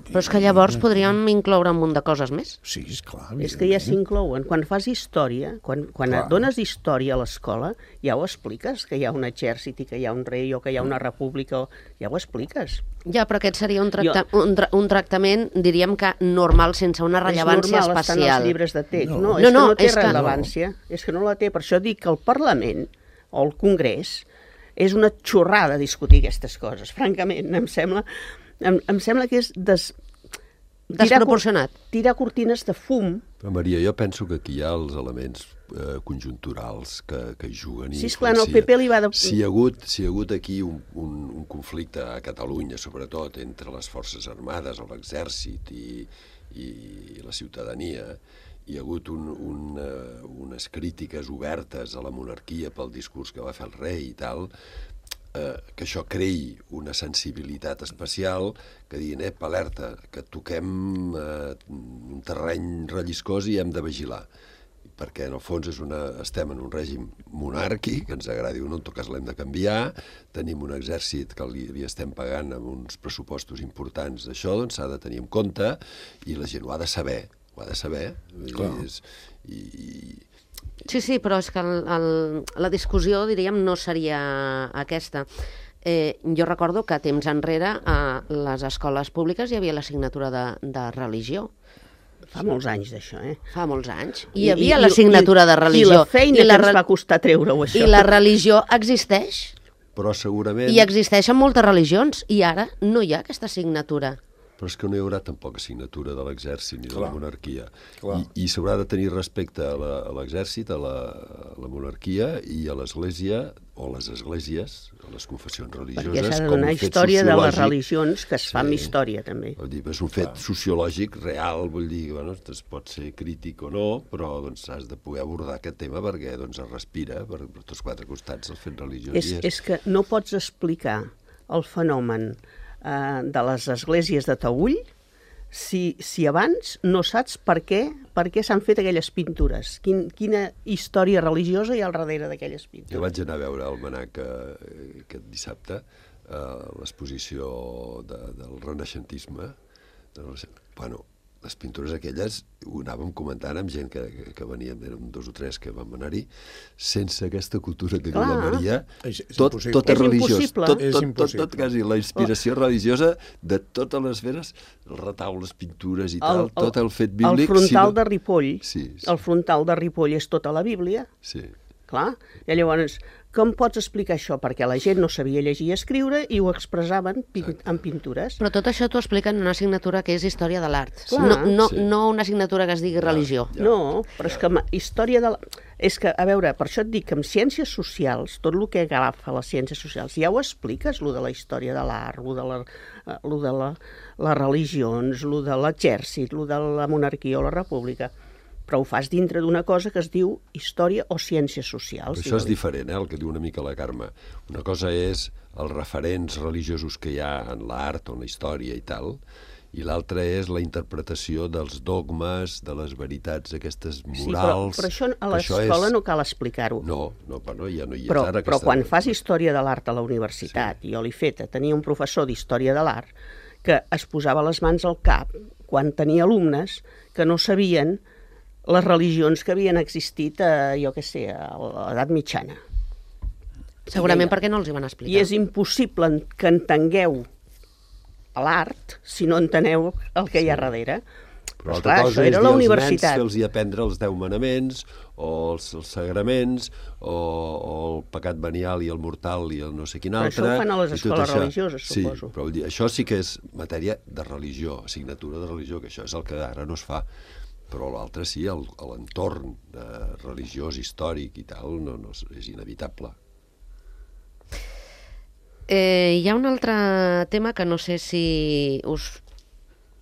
[SPEAKER 2] Però és que llavors podríem incloure un munt de coses més.
[SPEAKER 4] Sí, esclar.
[SPEAKER 3] És que ja s'inclouen. Quan fas història, quan, quan
[SPEAKER 4] Clar.
[SPEAKER 3] dones història a l'escola, ja ho expliques, que hi ha un exèrcit i que hi ha un rei o que hi ha una república, ja ho expliques.
[SPEAKER 2] Ja, però aquest seria un, tracta jo... un, tra un tractament, diríem que normal, sense una rellevància
[SPEAKER 3] és normal,
[SPEAKER 2] especial.
[SPEAKER 3] Estan als llibres de text.
[SPEAKER 4] No,
[SPEAKER 3] no,
[SPEAKER 2] no,
[SPEAKER 3] és
[SPEAKER 2] no,
[SPEAKER 3] que no té
[SPEAKER 2] és que
[SPEAKER 3] rellevància. Que... És que no la té. Per això dic que el Parlament o el Congrés és una xorrada discutir aquestes coses. Francament, em sembla, em, em sembla que és des...
[SPEAKER 2] desproporcionat.
[SPEAKER 3] Tirar, tirar cortines de fum.
[SPEAKER 5] Però, Maria, jo penso que aquí hi ha els elements eh, conjunturals que, que hi juguen.
[SPEAKER 3] Sí, esclar, no, el P P li va de...
[SPEAKER 5] Si hi ha hagut, si hi ha hagut aquí un, un, un conflicte a Catalunya, sobretot, entre les forces armades o l'exèrcit i, i la ciutadania, hi ha hagut un, un, uh, unes crítiques obertes a la monarquia pel discurs que va fer el rei i tal, eh, que això creï una sensibilitat especial, que diguin, ep, alerta, que toquem eh, un terreny relliscós i hem de vigilar. Perquè en el fons és una, estem en un règim monàrquic, que ens agradi o no, en tot cas l'hem de canviar, tenim un exèrcit que li, li estem pagant amb uns pressupostos importants d'això, doncs s'ha de tenir en compte i la gent ho ha de saber, ho ha de saber. És, i, i...
[SPEAKER 2] Sí, sí, però és que el, el, la discussió, diríem, no seria aquesta. Eh, jo recordo que temps enrere a les escoles públiques hi havia l'assignatura de, de religió.
[SPEAKER 3] Fa molts anys d'això, eh?
[SPEAKER 2] Fa molts anys. Hi havia l'assignatura de religió.
[SPEAKER 3] I la feina
[SPEAKER 2] I la
[SPEAKER 3] que ens
[SPEAKER 2] re...
[SPEAKER 3] va costar treure-ho, això.
[SPEAKER 2] I la religió existeix.
[SPEAKER 5] Però segurament...
[SPEAKER 2] I existeixen moltes religions. I ara no hi ha aquesta assignatura.
[SPEAKER 5] Però és que no hi haurà tampoc assignatura de l'exèrcit ni de
[SPEAKER 4] Clar.
[SPEAKER 5] la monarquia.
[SPEAKER 4] Clar.
[SPEAKER 5] I, i s'haurà de tenir respecte a l'exèrcit, a, a, a la monarquia i a l'església, o les esglésies, a les confessions religioses,
[SPEAKER 3] Perquè s'ha de
[SPEAKER 5] com
[SPEAKER 3] donar
[SPEAKER 5] un fet
[SPEAKER 3] història de les
[SPEAKER 5] sociològic.
[SPEAKER 3] religions, que es fa amb
[SPEAKER 5] Sí.
[SPEAKER 3] història, també.
[SPEAKER 5] Vull dir, és un fet Clar. sociològic real, vull dir, bueno, es pot ser crític o no, però doncs, has de poder abordar aquest tema perquè doncs, es respira per, per tots quatre costats el fet religiós.
[SPEAKER 3] És, és que no pots explicar el fenomen eh, de les esglésies de Taüll si, si abans no saps per què, per què s'han fet aquelles pintures? Quin, quina història religiosa hi ha al darrere d'aquelles pintures?
[SPEAKER 5] Jo vaig anar a veure el Manac eh, aquest dissabte, eh, l'exposició de, del renaixentisme. De, bueno, les pintures aquelles ho anàvem comentant amb gent que, que, que veníem, érem dos o tres que vam anar-hi, sense aquesta cultura que diu la Maria,
[SPEAKER 4] És- és
[SPEAKER 5] tot,
[SPEAKER 4] impossible.
[SPEAKER 5] tot és
[SPEAKER 3] És
[SPEAKER 5] religiós,
[SPEAKER 3] impossible.
[SPEAKER 5] tot,
[SPEAKER 4] És
[SPEAKER 5] tot, tot,
[SPEAKER 4] impossible.
[SPEAKER 5] tot, quasi la inspiració religiosa de totes les feres, retaules, pintures i tal, tot el fet bíblic.
[SPEAKER 3] El frontal
[SPEAKER 5] sí,
[SPEAKER 3] de Ripoll,
[SPEAKER 5] Sí, sí.
[SPEAKER 3] el frontal de Ripoll és tota la Bíblia,
[SPEAKER 5] Sí.
[SPEAKER 3] clar. I llavors, com pots explicar això? Perquè la gent no sabia llegir i escriure i ho expressaven pin en pintures.
[SPEAKER 2] Però tot això t'ho expliquen en una assignatura que és Història de l'Art.
[SPEAKER 3] Clar.
[SPEAKER 2] No, no,
[SPEAKER 5] Sí.
[SPEAKER 2] no una assignatura que es digui religió.
[SPEAKER 5] Ja.
[SPEAKER 3] No, però és que ma- història de la... És que, a veure, per això et dic que en ciències socials, tot el que agafa les ciències socials, ja ho expliques, lo de la història de l'art, lo de, la, eh, lo de la, les religions, lo de l'exèrcit, lo de la monarquia o la república, però ho fas dintre d'una cosa que es diu història o ciències socials.
[SPEAKER 5] Però això és diferent, eh, el que diu una mica la Carme. Una cosa és els referents religiosos que hi ha en l'art o en la història i tal, i l'altra és la interpretació dels dogmes, de les veritats aquestes morals.
[SPEAKER 3] Sí, però, però això a l'escola és... no cal explicar-ho.
[SPEAKER 5] No, no, però no, ja no hi és
[SPEAKER 3] Però,
[SPEAKER 5] ara.
[SPEAKER 3] però
[SPEAKER 5] aquesta...
[SPEAKER 3] quan fas història de l'art a la universitat, sí. Jo l'he feta, tenia un professor d'història de l'art que es posava les mans al cap quan tenia alumnes que no sabien les religions que havien existit, a, jo què sé, a l'edat mitjana.
[SPEAKER 2] Segurament perquè no els hi van explicar.
[SPEAKER 3] I és impossible que entengueu l'art si no enteneu el que hi ha darrere.
[SPEAKER 5] Però
[SPEAKER 3] Però,
[SPEAKER 5] altra
[SPEAKER 3] esclar,
[SPEAKER 5] cosa
[SPEAKER 3] això
[SPEAKER 5] és
[SPEAKER 3] era
[SPEAKER 5] dir
[SPEAKER 3] la
[SPEAKER 5] als
[SPEAKER 3] universitat.
[SPEAKER 5] nens fer-los aprendre els deu manaments, o els, els sagraments, o, o el pecat venial i el mortal i el no sé quin
[SPEAKER 3] Però
[SPEAKER 5] altre.
[SPEAKER 3] això ho fan a les
[SPEAKER 5] i tot
[SPEAKER 3] escoles
[SPEAKER 5] això.
[SPEAKER 3] religioses,
[SPEAKER 5] sí,
[SPEAKER 3] suposo.
[SPEAKER 5] però vull dir, això sí que és matèria de religió, assignatura de religió, que això és el que ara no es fa. Però l'altre sí, el- l'entorn eh, religiós, històric i tal, no, no és, és inevitable.
[SPEAKER 2] Eh, hi ha un altre tema que no sé si us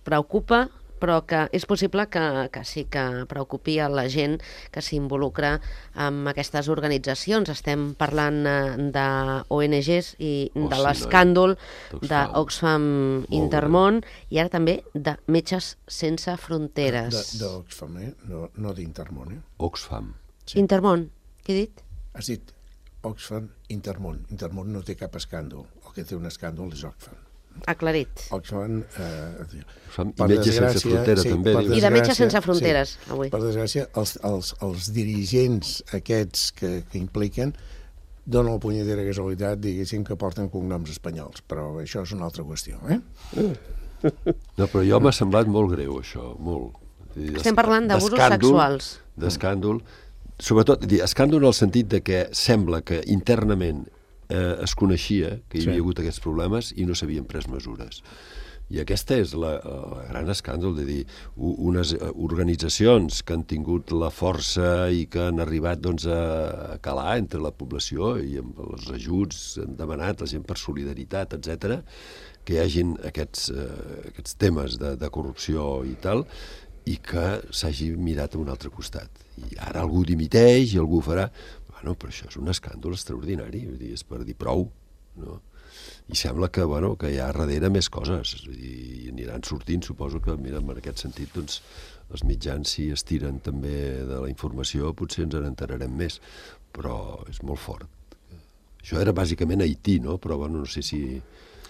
[SPEAKER 2] preocupa, però que és possible que, que sí que preocupi a la gent que s'involucra amb aquestes organitzacions. Estem parlant eh, d'O N Ges i
[SPEAKER 5] Oh,
[SPEAKER 2] de
[SPEAKER 5] sí,
[SPEAKER 2] l'escàndol
[SPEAKER 5] noi.
[SPEAKER 2] d'Oxfam
[SPEAKER 5] Molt
[SPEAKER 2] Intermón i ara també de Metges Sense Fronteres.
[SPEAKER 4] D'Oxfam, eh? No, no d'Intermón, eh?
[SPEAKER 5] Oxfam.
[SPEAKER 4] Sí.
[SPEAKER 2] Intermón, què he dit?
[SPEAKER 4] Has dit Oxfam, Intermón. Intermón no té cap escàndol. El que té un escàndol és Oxfam.
[SPEAKER 2] Aclarit.
[SPEAKER 4] Oxfam... Eh,
[SPEAKER 5] Oxfam i
[SPEAKER 4] per
[SPEAKER 5] Metges Sense
[SPEAKER 4] desgràcia,
[SPEAKER 5] Fronteres,
[SPEAKER 4] sí,
[SPEAKER 5] també.
[SPEAKER 4] per
[SPEAKER 5] dius.
[SPEAKER 2] I de Metges
[SPEAKER 4] desgràcia,
[SPEAKER 2] Sense Fronteres,
[SPEAKER 4] sí,
[SPEAKER 2] avui.
[SPEAKER 4] Per desgràcia, els, els, els dirigents aquests que, que impliquen donen la punyetera casualitat, diguéssim, que porten cognoms espanyols, però això és una altra qüestió, eh?
[SPEAKER 5] No, però jo m'ha semblat molt greu, això, molt. Vull dir,
[SPEAKER 2] Estem
[SPEAKER 5] d'esc-
[SPEAKER 2] parlant d'abusos
[SPEAKER 5] d'escàndol,
[SPEAKER 2] sexuals.
[SPEAKER 5] D'escàndol. Sobretot, dir, escàndol en el sentit de que sembla que internament eh, es coneixia que hi
[SPEAKER 4] Sí.
[SPEAKER 5] havia hagut aquests problemes i no s'havien pres mesures. I aquesta és la, la gran escàndol, de dir, u- unes eh, organitzacions que han tingut la força i que han arribat doncs, a, a calar entre la població i amb els ajuts han demanat la gent per solidaritat, etcètera, que hi hagin aquests, eh, aquests temes de, de corrupció i tal, i que s'hagi mirat a un altre costat. I ara algú dimiteix i algú farà... Bueno, però això és un escàndol extraordinari, vull dir, és per dir prou, no? I sembla que, bueno, que hi ha darrere més coses, vull dir, i aniran sortint, suposo que, mira, en aquest sentit, doncs, els mitjans, si estiren també de la informació, potser ens en enterarem més, però és molt fort. Això era bàsicament Haití, no? Però, bueno, no sé si...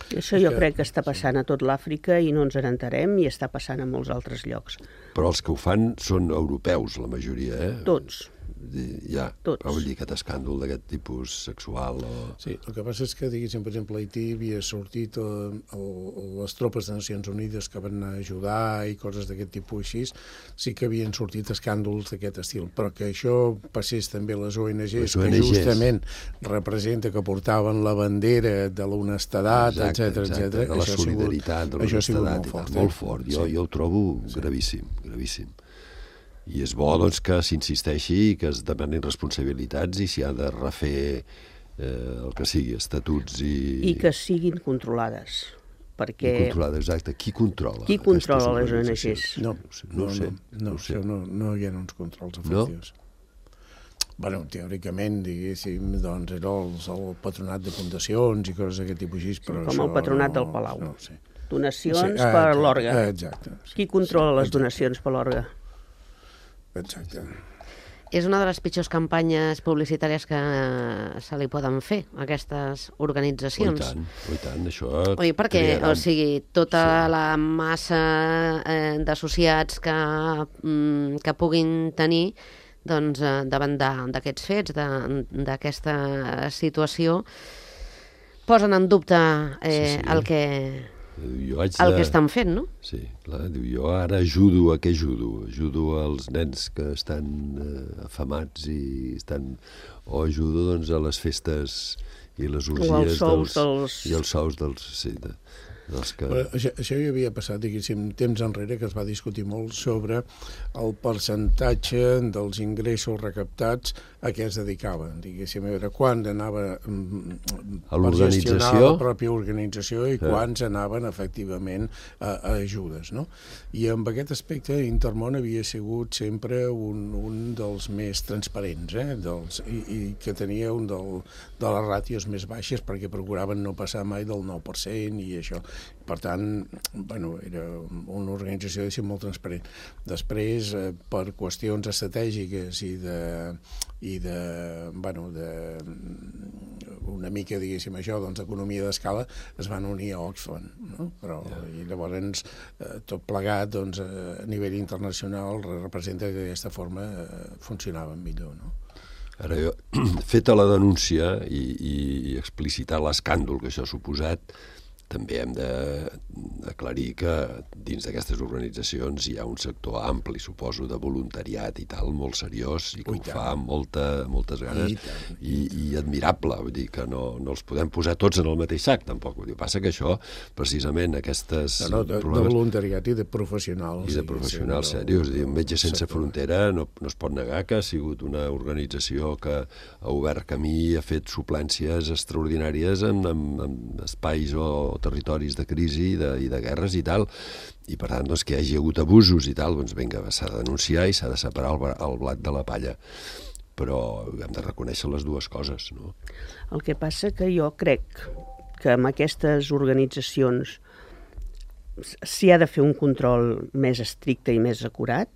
[SPEAKER 3] I això jo crec que està passant a tot l'Àfrica i no ens n'enterem, i està passant a molts altres llocs.
[SPEAKER 5] Però els que ho fan són europeus, la majoria, eh?
[SPEAKER 3] Tots.
[SPEAKER 5] Ja,
[SPEAKER 3] Tots.
[SPEAKER 5] però vull dir, aquest escàndol d'aquest tipus sexual o...
[SPEAKER 4] Sí, el que passa és que, diguéssim, per exemple, a Haití havia sortit eh, el, les tropes de Nacions Unides que van anar a ajudar i coses d'aquest tipus així, sí que havien sortit escàndols d'aquest estil, però que això passés també a les O N Ges,
[SPEAKER 5] Les O N
[SPEAKER 4] que
[SPEAKER 5] Ges.
[SPEAKER 4] justament representa que portaven la bandera de l'honestedat, etcètera, etcètera.
[SPEAKER 5] de la
[SPEAKER 4] això ha sigut-
[SPEAKER 5] solidaritat, de
[SPEAKER 4] això ha sigut
[SPEAKER 5] l'honestedat,
[SPEAKER 4] molt fort.
[SPEAKER 5] molt
[SPEAKER 4] eh?
[SPEAKER 5] fort. Jo,
[SPEAKER 4] Sí.
[SPEAKER 5] jo ho trobo gravíssim, gravíssim. I és bo, doncs, que s'insisteixi i que es demanin responsabilitats i s'hi ha de refer eh, el que sigui, estatuts i...
[SPEAKER 3] I que siguin controlades. Perquè...
[SPEAKER 5] I controlada, exacte. Qui controla?
[SPEAKER 3] Qui controla
[SPEAKER 5] aquestes
[SPEAKER 3] les O N
[SPEAKER 5] organitzacions?
[SPEAKER 3] Ges?
[SPEAKER 4] No,
[SPEAKER 5] no, sé,
[SPEAKER 4] no,
[SPEAKER 5] no, ho sé,
[SPEAKER 4] no, no,
[SPEAKER 5] ho sé.
[SPEAKER 4] això no, no hi ha uns controls efectius. bueno, teòricament, diguéssim, doncs era el, el patronat de fundacions i coses d'aquest tipus així, però
[SPEAKER 3] com
[SPEAKER 4] això
[SPEAKER 3] el patronat
[SPEAKER 4] no,
[SPEAKER 3] del Palau.
[SPEAKER 4] No, sí.
[SPEAKER 3] Donacions
[SPEAKER 4] sí, ah,
[SPEAKER 3] per
[SPEAKER 4] exacte,
[SPEAKER 3] l'orga.
[SPEAKER 4] ah, exacte. Sí,
[SPEAKER 3] Qui controla
[SPEAKER 4] sí,
[SPEAKER 3] les donacions per l'orga?
[SPEAKER 4] Exacte.
[SPEAKER 2] És una de les pitjors campanyes publicitàries que se li poden fer a aquestes
[SPEAKER 5] Oh, i
[SPEAKER 2] organitzacions.
[SPEAKER 5] tant, oh, i tant, això...
[SPEAKER 2] Oi, perquè,
[SPEAKER 5] crearà-
[SPEAKER 2] o sigui, tota
[SPEAKER 5] Sí.
[SPEAKER 2] la massa eh, d'associats que, mm, que puguin tenir doncs, eh, davant de- d'aquests fets, de- d'aquesta situació, posen en dubte eh,
[SPEAKER 5] Sí, sí.
[SPEAKER 2] el que,
[SPEAKER 5] Jo haig
[SPEAKER 2] el
[SPEAKER 5] de...
[SPEAKER 2] que estan fent, no?
[SPEAKER 5] Sí, clar, diu, jo ara ajudo, a què ajudo? Ajudo als nens que estan eh, afamats i estan... O ajudo, doncs, a les festes i les orgies
[SPEAKER 3] als sous
[SPEAKER 5] dels...
[SPEAKER 3] dels-
[SPEAKER 5] I els sous dels... Sí, de, dels que...
[SPEAKER 4] Però això, això ja havia passat, diguéssim, temps enrere, que es va discutir molt sobre el percentatge dels ingressos recaptats a què es dedicaven, diguéssim, a veure quant anava mm,
[SPEAKER 5] A
[SPEAKER 4] per gestionar
[SPEAKER 5] l'organització?
[SPEAKER 4] la pròpia organització i quants anaven efectivament a, a ajudes, no? I amb aquest aspecte Intermón havia sigut sempre un, un dels més transparents, eh? dels, i, i que tenia un del, de les ràtios més baixes perquè procuraven no passar mai del nou per cent i això. Per tant, bueno, era una organització diguéssim, molt transparent. Després, eh, per qüestions estratègiques i de, i de, bueno, de una mica, diguéssim, això, doncs, d'economia d'escala, es van unir a Oxfam, no? Però, i llavors, eh, tot plegat, doncs, a nivell internacional, representa que d'aquesta forma eh, funcionaven millor, no?
[SPEAKER 5] Ara jo, feta la denúncia i, i explicitar l'escàndol que això ha suposat, també hem d'aclarir que dins d'aquestes organitzacions hi ha un sector ampli, suposo, de voluntariat i tal, molt seriós, i que
[SPEAKER 4] Ui,
[SPEAKER 5] ho fa amb molta, moltes ganes,
[SPEAKER 4] I tant.
[SPEAKER 5] i, i admirable, vull dir que no, no els podem posar tots en el mateix sac, tampoc. Vull dir, passa que això, precisament, aquestes
[SPEAKER 4] No, no, de, de
[SPEAKER 5] problemes...
[SPEAKER 4] voluntariat i de professionals.
[SPEAKER 5] I de professionals serios. No, Metges Sense Frontera no, no es pot negar que ha sigut una organització que ha obert camí i ha fet suplències extraordinàries en, en, en espais o territoris de crisi i de, i de guerres i tal. I per tant, doncs, que hi hagi hagut abusos i tal, doncs vinga, s'ha de denunciar i s'ha de separar el, el blat de la palla. Però hem de reconèixer les dues coses, no?
[SPEAKER 3] El que passa que jo crec que amb aquestes organitzacions s'hi ha de fer un control més estricte i més acurat,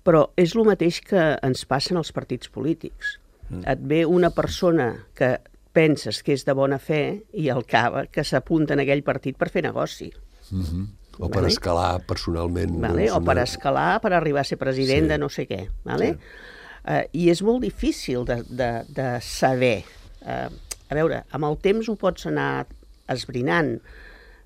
[SPEAKER 3] però és el mateix que ens passa en els partits polítics. Mm. Et ve una persona que penses que és de bona fe i al cava que s'apunta en aquell partit per fer negoci.
[SPEAKER 5] Mm-hmm. O per
[SPEAKER 3] Vale.
[SPEAKER 5] escalar personalment...
[SPEAKER 3] Vale?
[SPEAKER 5] doncs,
[SPEAKER 3] O per
[SPEAKER 5] una-
[SPEAKER 3] escalar, per arribar a ser president
[SPEAKER 5] Sí.
[SPEAKER 3] de no sé què. Vale? Uh, I és molt difícil de, de, de saber. Uh, a veure, amb el temps ho pots anar esbrinant,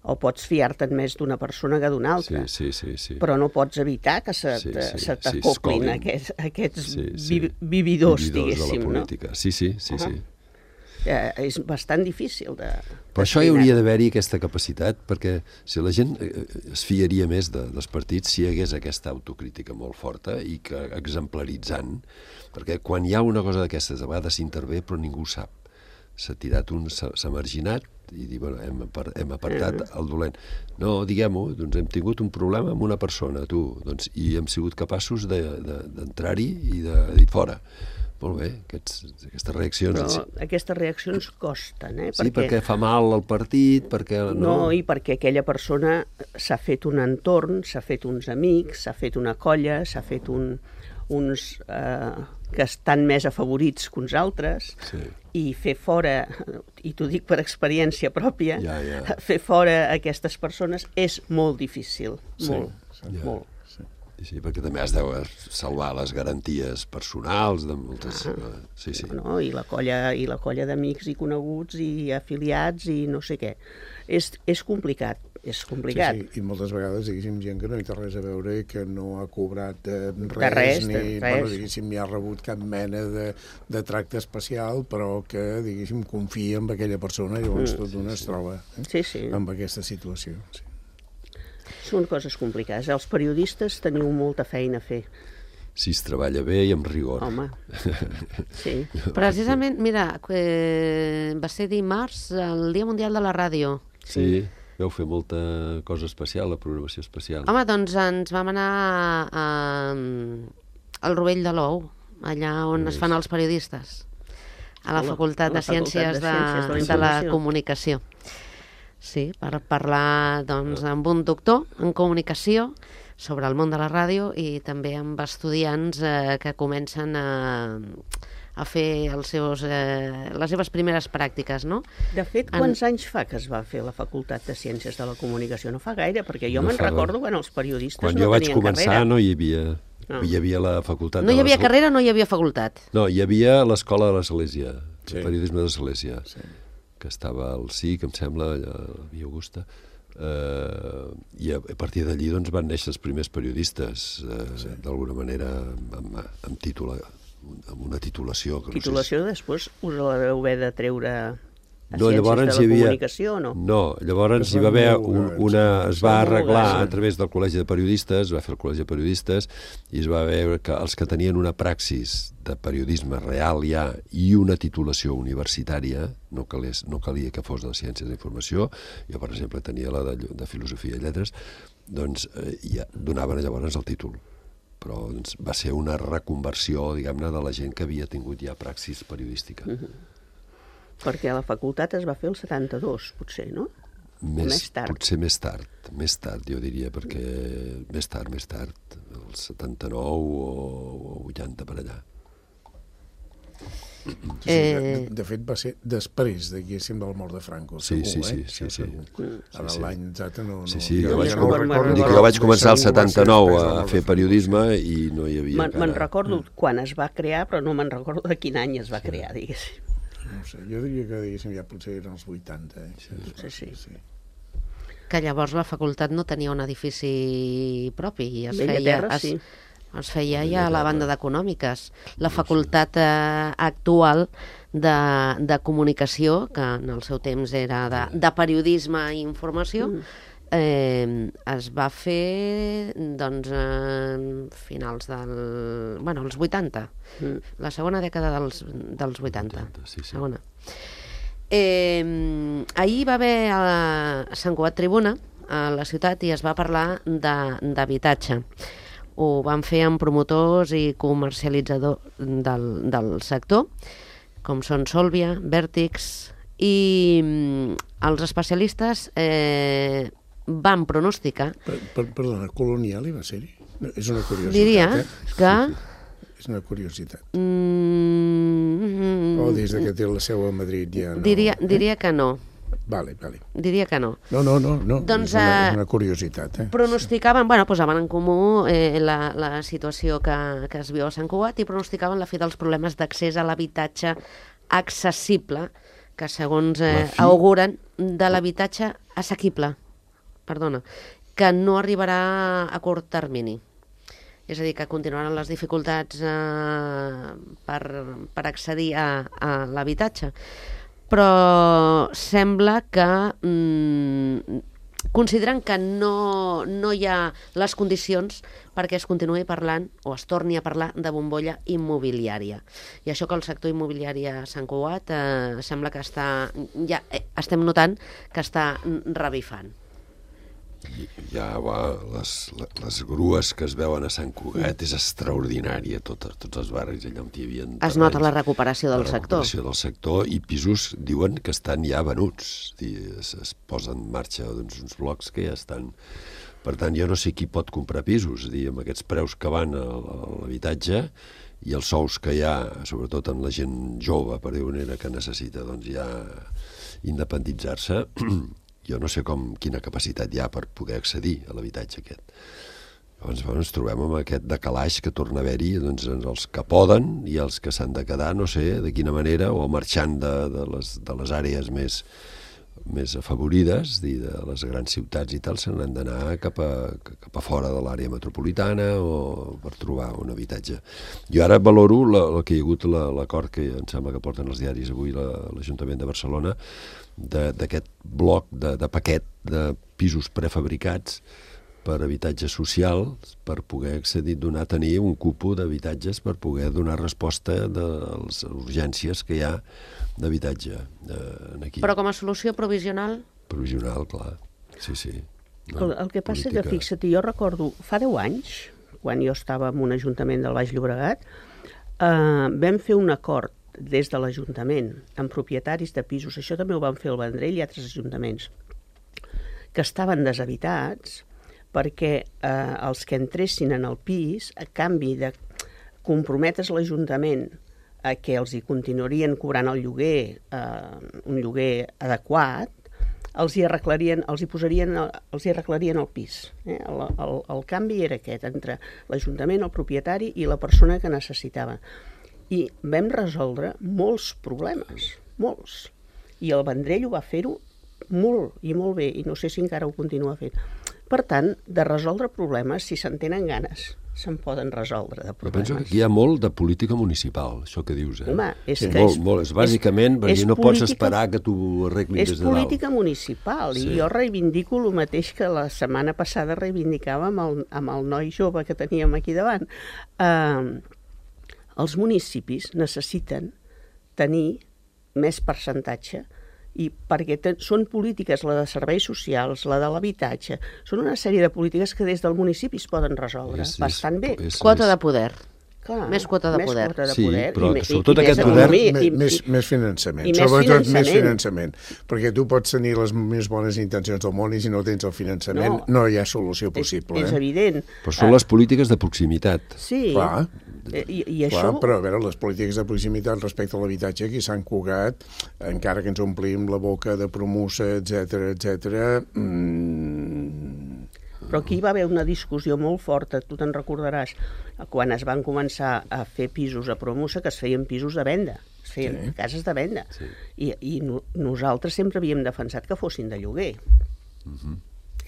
[SPEAKER 3] o pots fiar-te'n més d'una persona que d'una altra,
[SPEAKER 5] Sí, sí, sí, sí.
[SPEAKER 3] però no pots evitar que se,
[SPEAKER 5] Sí,
[SPEAKER 3] te-
[SPEAKER 5] sí,
[SPEAKER 3] se
[SPEAKER 5] sí,
[SPEAKER 3] t'acoplin
[SPEAKER 5] escolin.
[SPEAKER 3] aquests, aquests
[SPEAKER 5] Sí, sí.
[SPEAKER 3] vi, vividors,
[SPEAKER 5] Vividors de
[SPEAKER 3] diguéssim.
[SPEAKER 5] la
[SPEAKER 3] No?
[SPEAKER 5] política. Sí, sí, sí, sí.
[SPEAKER 3] Eh, és bastant difícil de...
[SPEAKER 5] Però això hi
[SPEAKER 3] d'esbrinar.
[SPEAKER 5] hauria d'haver-hi aquesta capacitat, perquè si la gent eh, es fiaria més de, dels partits si hi hagués aquesta autocrítica molt forta i que exemplaritzant, perquè quan hi ha una cosa d'aquestes, a vegades s'intervé però ningú sap. S'ha tirat un, s'ha s'ha marginat i dir, bueno, hem, apar hem apartat el dolent. No, diguem-ho, doncs hem tingut un problema amb una persona, tu, doncs, i hem sigut capaços d'entrar-hi de, de, i de dir fora. Molt bé, aquests, aquestes reaccions...
[SPEAKER 3] Però aquestes reaccions costen, eh?
[SPEAKER 5] Sí, perquè fa mal al partit, perquè...
[SPEAKER 3] No,
[SPEAKER 5] No,
[SPEAKER 3] i perquè aquella persona s'ha fet un entorn, s'ha fet uns amics, s'ha fet una colla, s'ha fet un, uns eh, que estan més afavorits que uns altres,
[SPEAKER 5] Sí.
[SPEAKER 3] i fer fora, i t'ho dic per experiència pròpia,
[SPEAKER 5] Ja, ja.
[SPEAKER 3] fer fora aquestes persones és molt difícil,
[SPEAKER 4] Sí,
[SPEAKER 3] molt,
[SPEAKER 4] sí.
[SPEAKER 5] Ja.
[SPEAKER 3] molt.
[SPEAKER 5] Sí, perquè també has de salvar les garanties personals de moltes... Sí, sí.
[SPEAKER 3] No? I la colla, i la colla d'amics i coneguts i afiliats i no sé què. És, és complicat, és complicat.
[SPEAKER 4] Sí, sí, i moltes vegades, diguéssim, gent que no hi té res a veure, que no ha cobrat eh, res,
[SPEAKER 3] De res,
[SPEAKER 4] ni,
[SPEAKER 3] de res.
[SPEAKER 4] Bueno, diguéssim, ni ha rebut cap mena de, de tracte especial, però que, diguéssim, confia en aquella persona i llavors
[SPEAKER 3] Mm.
[SPEAKER 4] tot d'una es troba eh,
[SPEAKER 3] Sí, sí.
[SPEAKER 4] amb aquesta situació. Sí.
[SPEAKER 3] Són coses complicades. Els periodistes teniu molta feina a fer.
[SPEAKER 5] Si es treballa bé i amb rigor.
[SPEAKER 3] Home, sí.
[SPEAKER 2] Precisament, mira, eh, va ser dimarts el Dia Mundial de la Ràdio.
[SPEAKER 5] Sí, vau fer molta cosa especial, la programació especial.
[SPEAKER 2] Home, doncs ens vam anar a, al Rovell de l'Ou. allà on es fan els periodistes, a la
[SPEAKER 3] A la-
[SPEAKER 2] Facultat
[SPEAKER 3] a la
[SPEAKER 2] de Ciències
[SPEAKER 3] Facultat de Ciències de la
[SPEAKER 2] de, de la
[SPEAKER 3] Informació.
[SPEAKER 2] Comunicació. Sí, per parlar doncs, amb un doctor en comunicació sobre el món de la ràdio i també amb estudiants eh, que comencen a, a fer els seus, eh, les seves primeres pràctiques, no?
[SPEAKER 3] De fet, quants anys fa que es va fer la Facultat de Ciències de la Comunicació? No fa gaire, perquè jo
[SPEAKER 5] No
[SPEAKER 3] me'n
[SPEAKER 5] fa
[SPEAKER 3] recordo quan els periodistes
[SPEAKER 5] Quan
[SPEAKER 3] no
[SPEAKER 5] jo vaig
[SPEAKER 3] tenien
[SPEAKER 5] començar
[SPEAKER 3] carrera.
[SPEAKER 5] no hi havia...
[SPEAKER 3] No.
[SPEAKER 5] Hi havia la facultat...
[SPEAKER 2] No hi
[SPEAKER 5] de
[SPEAKER 2] havia
[SPEAKER 5] l'Església.
[SPEAKER 2] carrera, no hi havia facultat.
[SPEAKER 5] No, hi havia l'escola de l'Església,
[SPEAKER 4] Sí.
[SPEAKER 5] el periodisme de l'Església,
[SPEAKER 4] Sí.
[SPEAKER 5] que estava al C I C, em sembla, allà a la Via Augusta, eh, i a, a partir d'allí doncs, van néixer els primers periodistes, eh, sí. d'alguna manera amb, amb, títol, amb una titulació. Que
[SPEAKER 3] Titulació, després us la deveu haver de treure a
[SPEAKER 5] No,
[SPEAKER 3] Ciències
[SPEAKER 5] llavors
[SPEAKER 3] de
[SPEAKER 5] hi
[SPEAKER 3] la
[SPEAKER 5] havia...
[SPEAKER 3] Comunicació o no?
[SPEAKER 5] No, llavors
[SPEAKER 4] Es
[SPEAKER 5] hi
[SPEAKER 4] va
[SPEAKER 5] va haver
[SPEAKER 4] homologar,
[SPEAKER 5] un, una...
[SPEAKER 4] sí.
[SPEAKER 5] Es va
[SPEAKER 3] Es va
[SPEAKER 5] arreglar
[SPEAKER 3] homologar,
[SPEAKER 5] a
[SPEAKER 3] sí.
[SPEAKER 5] través del Col·legi de Periodistes, es va fer el Col·legi de Periodistes, i es va veure que els que tenien una praxis de periodisme real ja i una titulació universitària, no, calés, no calia que fos de Ciències de la Informació, jo, per exemple, tenia la de, de Filosofia i Lletres, doncs eh, ja donaven llavors el títol. Però doncs, va ser una reconversió, diguem-ne, de la gent que havia tingut ja praxis periodística.
[SPEAKER 3] Mm-hmm. Perquè la facultat es va fer el setanta-dos, potser, no?
[SPEAKER 5] Més,
[SPEAKER 3] Més tard.
[SPEAKER 5] Potser més tard, més tard, jo diria, perquè més tard, més tard, el setanta-nou o, o vuitanta per allà.
[SPEAKER 4] Sí, sí,
[SPEAKER 2] Eh,
[SPEAKER 4] de, de fet va ser després, diguéssim, del mort de Franco.
[SPEAKER 5] Sí,
[SPEAKER 4] segur,
[SPEAKER 5] sí,
[SPEAKER 4] eh?
[SPEAKER 5] sí,
[SPEAKER 4] Això
[SPEAKER 5] sí, sí.
[SPEAKER 4] segur. Ara
[SPEAKER 5] Sí, sí.
[SPEAKER 4] l'any exacte no... no
[SPEAKER 5] Sí, sí,
[SPEAKER 3] jo
[SPEAKER 5] jo vaig,
[SPEAKER 3] ja
[SPEAKER 5] com...
[SPEAKER 3] no me'n recordo.
[SPEAKER 5] dic, jo vaig començar el
[SPEAKER 4] Segur va ser
[SPEAKER 5] setanta-nou
[SPEAKER 4] després del
[SPEAKER 5] a
[SPEAKER 4] mort de
[SPEAKER 5] fer
[SPEAKER 4] Franco,
[SPEAKER 5] periodisme i no hi havia
[SPEAKER 3] Me'n me'n
[SPEAKER 5] encara...
[SPEAKER 3] recordo quan es va crear, però no me'n recordo de quin any es va crear, diguéssim.
[SPEAKER 4] No sé, jo diria que diguéssim ja potser eren els vuitanta. Eh?
[SPEAKER 3] Sí, sí.
[SPEAKER 4] sí.
[SPEAKER 2] Que llavors la facultat no tenia un edifici propi i es
[SPEAKER 3] Bella
[SPEAKER 2] feia,
[SPEAKER 3] Terra,
[SPEAKER 2] es,
[SPEAKER 3] sí.
[SPEAKER 2] es feia
[SPEAKER 5] Bella
[SPEAKER 2] ja a la
[SPEAKER 5] Terra.
[SPEAKER 2] banda d'econòmiques. La facultat eh, actual de, de comunicació, que en el seu temps era de, de periodisme i informació, eh, es va fer doncs en finals del... bueno, els vuitanta,
[SPEAKER 3] Mm.
[SPEAKER 2] la segona dècada dels, dels vuitanta.
[SPEAKER 5] Sí, sí.
[SPEAKER 2] Segona. Eh, ahir va haver a Sant Cugat Tribuna a la ciutat i es va parlar de- d'habitatge. Ho van fer amb promotors i comercialitzadors del, del sector, com són Solvia, Vertix, i mm, els especialistes eh, van pronosticar,
[SPEAKER 4] Per, per, perdona, Colonial hi va ser-hi? No, és una curiositat,
[SPEAKER 2] diria
[SPEAKER 4] eh?
[SPEAKER 2] que...
[SPEAKER 4] És una curiositat.
[SPEAKER 2] Mm,
[SPEAKER 4] O des de que té la seu a Madrid ja no...
[SPEAKER 2] diria, diria que no.
[SPEAKER 4] Vale, vale.
[SPEAKER 2] Diria que no.
[SPEAKER 4] No, no, no, no.
[SPEAKER 2] Doncs,
[SPEAKER 4] és una,
[SPEAKER 2] eh,
[SPEAKER 4] és una curiositat, eh?
[SPEAKER 2] Pronosticaven, bueno, posaven en comú eh, la, la situació que, que es viu a Sant Cugat i pronosticaven la fi dels problemes d'accés a l'habitatge accessible, que segons eh,
[SPEAKER 5] La fi?
[SPEAKER 2] auguren de l'habitatge assequible, perdona, que no arribarà a curt termini. És a dir, que continuaran les dificultats eh, per, per accedir a, a l'habitatge. Però sembla que mm, consideren que no, no hi ha les condicions perquè es continuï parlant o es torni a parlar de bombolla immobiliària. I això que el sector immobiliari a Sant Cugat eh, sembla que està, ja eh, estem notant que està revifant.
[SPEAKER 5] Ja, va, les, les grues que es veuen a Sant Cugat és extraordinària, tot, tots els barris allà on hi havia...
[SPEAKER 2] Es nota la recuperació del
[SPEAKER 5] la
[SPEAKER 2] sector.
[SPEAKER 5] recuperació del sector i pisos diuen que estan ja venuts, dir, es, es posen en marxa doncs, uns blocs que ja estan... Per tant, jo no sé qui pot comprar pisos, dir, amb aquests preus que van a, a l'habitatge i els sous que hi ha, sobretot en la gent jove, per dir-ho manera, que necessita doncs, ja independitzar-se, jo no sé com, quina capacitat hi ha per poder accedir a l'habitatge aquest. Llavors bueno, ens trobem amb aquest decalaix que torna a haver-hi doncs, els que poden i els que s'han de quedar, no sé de quina manera, o marxant de, de, les, de les àrees més, més afavorides, de les grans ciutats i tal, se n'han d'anar cap, a, cap a fora de l'àrea metropolitana o per trobar un habitatge. Jo ara valoro la, el que hi ha hagut l'acord que em sembla que porten els diaris avui l'Ajuntament de Barcelona d'aquest bloc de, de paquet de pisos prefabricats per habitatges socials, per poder accedir, donar, tenir un cupo d'habitatges per poder donar resposta de les urgències que hi ha d'habitatge eh, aquí.
[SPEAKER 2] Però com a solució provisional...
[SPEAKER 5] Provisional, clar. Sí, sí.
[SPEAKER 3] El, el que passa política... que, fixa't, jo recordo, fa deu anys, quan jo estava en un ajuntament del Baix Llobregat, eh, vam fer un acord des de l'Ajuntament amb propietaris de pisos, això també ho van fer el Vendrell i altres ajuntaments, que estaven deshabitats perquè eh, els que entressin en el pis, a canvi de comprometre's l'Ajuntament a que els hi continuarien cobrant el lloguer, eh, un lloguer adequat, els hi arreglarien, els hi posarien, els hi arreglarien el pis. Eh? El, el, el canvi era aquest, entre l'Ajuntament, el propietari i la persona que necessitava. I vam resoldre molts problemes, molts. I el Vendrell ho va fer-ho molt i molt bé, i no sé si encara ho continua fent. Per tant, de resoldre problemes, si se'n tenen ganes, se'n poden resoldre de
[SPEAKER 5] Jo
[SPEAKER 3] problemes.
[SPEAKER 5] penso que aquí hi ha molt de política municipal, això que dius. Eh?
[SPEAKER 3] Home, és
[SPEAKER 5] sí,
[SPEAKER 3] que
[SPEAKER 5] molt,
[SPEAKER 3] és-
[SPEAKER 5] molt, és bàsicament
[SPEAKER 3] és-
[SPEAKER 5] perquè
[SPEAKER 3] és
[SPEAKER 5] no pots
[SPEAKER 3] política-
[SPEAKER 5] esperar que t'ho arreglin
[SPEAKER 3] És
[SPEAKER 5] des de dalt.
[SPEAKER 3] política municipal,
[SPEAKER 5] Sí.
[SPEAKER 3] i jo reivindico el mateix que la setmana passada reivindicava amb el, amb el noi jove que teníem aquí davant. Uh, els municipis necessiten tenir més percentatge, i perquè te, són polítiques, la de serveis socials, la de l'habitatge, són una sèrie de polítiques que des del municipi es poden resoldre
[SPEAKER 5] És- és-
[SPEAKER 3] bastant bé.
[SPEAKER 5] és-
[SPEAKER 2] Quota
[SPEAKER 5] és-
[SPEAKER 2] de poder.
[SPEAKER 3] Clar,
[SPEAKER 2] Més quota de
[SPEAKER 3] més
[SPEAKER 2] poder.
[SPEAKER 3] Quota de
[SPEAKER 5] Sí,
[SPEAKER 3] poder,
[SPEAKER 5] però
[SPEAKER 3] i,
[SPEAKER 5] sobretot
[SPEAKER 3] i, i
[SPEAKER 5] aquest
[SPEAKER 3] més
[SPEAKER 5] poder-
[SPEAKER 3] economia,
[SPEAKER 4] Més,
[SPEAKER 3] i,
[SPEAKER 4] més,
[SPEAKER 3] i,
[SPEAKER 4] més finançament,
[SPEAKER 3] i més
[SPEAKER 4] sobretot
[SPEAKER 3] finançament.
[SPEAKER 4] més finançament, perquè tu pots tenir les més bones intencions del món i si no tens el finançament no,
[SPEAKER 3] No.
[SPEAKER 4] hi ha solució
[SPEAKER 3] és,
[SPEAKER 4] possible.
[SPEAKER 3] és
[SPEAKER 4] eh?
[SPEAKER 3] evident.
[SPEAKER 5] Però són les polítiques de proximitat.
[SPEAKER 3] Sí,
[SPEAKER 4] Clar.
[SPEAKER 3] Eh, i, i
[SPEAKER 4] Clar,
[SPEAKER 3] això...
[SPEAKER 4] però a veure, les polítiques de proximitat respecte a l'habitatge aquí a Sant Cugat, encara que ens omplim la boca de promussa, etcètera, etcètera, mmm,
[SPEAKER 3] Però aquí hi va haver una discussió molt forta, tu te'n recordaràs, quan es van començar a fer pisos a Promusa, que es feien pisos de venda, es feien
[SPEAKER 4] Sí.
[SPEAKER 3] cases de venda.
[SPEAKER 5] Sí.
[SPEAKER 3] I, i no, nosaltres sempre havíem defensat que fossin de lloguer.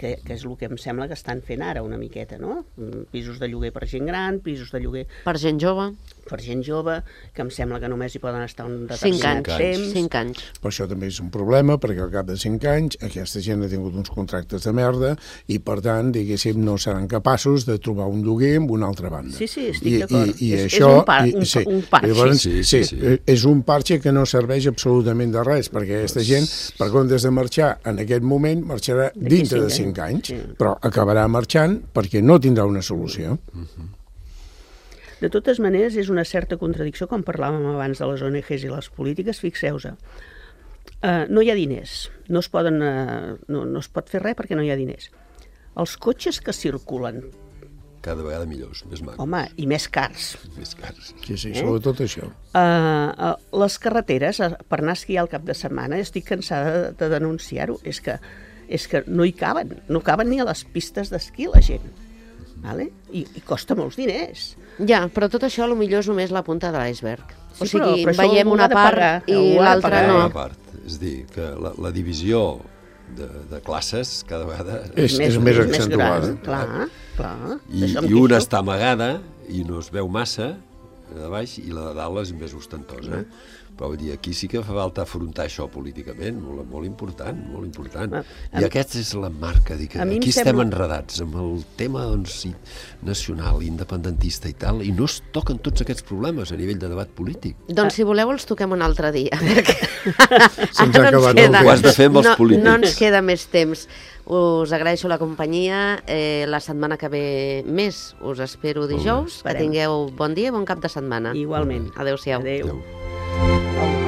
[SPEAKER 3] que, que és el que em sembla que estan fent ara una miqueta, no? Mm, Pisos de lloguer per gent gran, pisos de lloguer
[SPEAKER 2] Per gent jove,
[SPEAKER 3] per gent jove, que em sembla que només hi poden estar un
[SPEAKER 2] cinc
[SPEAKER 3] determinat
[SPEAKER 2] anys.
[SPEAKER 3] temps.
[SPEAKER 2] Cinc anys.
[SPEAKER 4] Però això també és un problema, perquè al cap de cinc anys aquesta gent ha tingut uns contractes de merda i, per tant, diguéssim, no seran capaços de trobar un lloguer amb una altra banda.
[SPEAKER 3] Sí, sí, estic
[SPEAKER 4] I,
[SPEAKER 3] d'acord.
[SPEAKER 4] I, i
[SPEAKER 3] És- és
[SPEAKER 4] això,
[SPEAKER 3] un par-
[SPEAKER 4] i,
[SPEAKER 3] un-
[SPEAKER 4] sí.
[SPEAKER 3] un parche.
[SPEAKER 4] Llavors,
[SPEAKER 5] Sí,
[SPEAKER 4] sí,
[SPEAKER 5] sí, sí.
[SPEAKER 4] sí, és un parche que no serveix absolutament de res, perquè aquesta gent, per comptes de marxar en aquest moment, marxarà
[SPEAKER 3] D'aquí
[SPEAKER 4] dintre de
[SPEAKER 3] cinc
[SPEAKER 4] cinc anys,
[SPEAKER 3] anys. Sí.
[SPEAKER 4] però acabarà marxant perquè no tindrà una solució.
[SPEAKER 3] De totes maneres, és una certa contradicció, com parlàvem abans de les O N Ges i les polítiques, fixeu-vos. Uh, no hi ha diners, no es, poden, uh, no, no es pot fer res perquè no hi ha diners. Els cotxes que circulen,
[SPEAKER 5] Cada vegada millors, més macos,
[SPEAKER 3] home, i més cars.
[SPEAKER 5] més cars.
[SPEAKER 4] Sí, sí, sobretot això.
[SPEAKER 3] Uh, uh, les carreteres, uh, per anar a esquiar el cap de setmana, estic cansada de, de denunciar-ho, és que, és que no hi caben, no caben ni a les pistes d'esquí la gent. Vale? I, I costa molts diners.
[SPEAKER 2] Ja, però tot això potser és només la punta de l'iceberg.
[SPEAKER 3] Sí,
[SPEAKER 2] O sigui,
[SPEAKER 3] però- però això
[SPEAKER 2] veiem
[SPEAKER 3] algú
[SPEAKER 2] una
[SPEAKER 3] ha de
[SPEAKER 2] part
[SPEAKER 3] pagar,
[SPEAKER 2] i
[SPEAKER 3] algú ha de
[SPEAKER 2] l'altra
[SPEAKER 3] pagar.
[SPEAKER 2] no.
[SPEAKER 5] Una part. És a dir, que la, la divisió de, de classes cada vegada...
[SPEAKER 4] És, és més accentuada.
[SPEAKER 3] gran, clar, clar.
[SPEAKER 5] I,
[SPEAKER 3] D'això em
[SPEAKER 5] i una
[SPEAKER 3] queixo.
[SPEAKER 5] està amagada i no es veu massa de baix i la de dalt és més ostentosa. Però vull dir, aquí sí que fa falta afrontar això políticament, molt, molt important, molt important.
[SPEAKER 3] A-
[SPEAKER 5] I aquesta és la marca, dir que
[SPEAKER 3] a mi em
[SPEAKER 5] aquí estem
[SPEAKER 3] sembla-
[SPEAKER 5] enredats amb el tema doncs, i- nacional, independentista i tal, i no es toquen tots aquests problemes a nivell de debat polític.
[SPEAKER 2] Doncs si voleu els toquem un altre dia. perquè
[SPEAKER 4] Se'ns ha
[SPEAKER 2] ara no ens
[SPEAKER 4] acabat el
[SPEAKER 2] queda-
[SPEAKER 4] temps.
[SPEAKER 5] Ho has de fer amb els
[SPEAKER 2] no,
[SPEAKER 5] polítics.
[SPEAKER 2] No ens queda més temps. Us agraeixo la companyia. Eh, la setmana que ve més us espero dijous. Que
[SPEAKER 3] Esperem.
[SPEAKER 2] tingueu bon dia i bon cap de setmana.
[SPEAKER 3] Igualment.
[SPEAKER 2] Adéu-siau.
[SPEAKER 3] Adéu.
[SPEAKER 5] Adéu.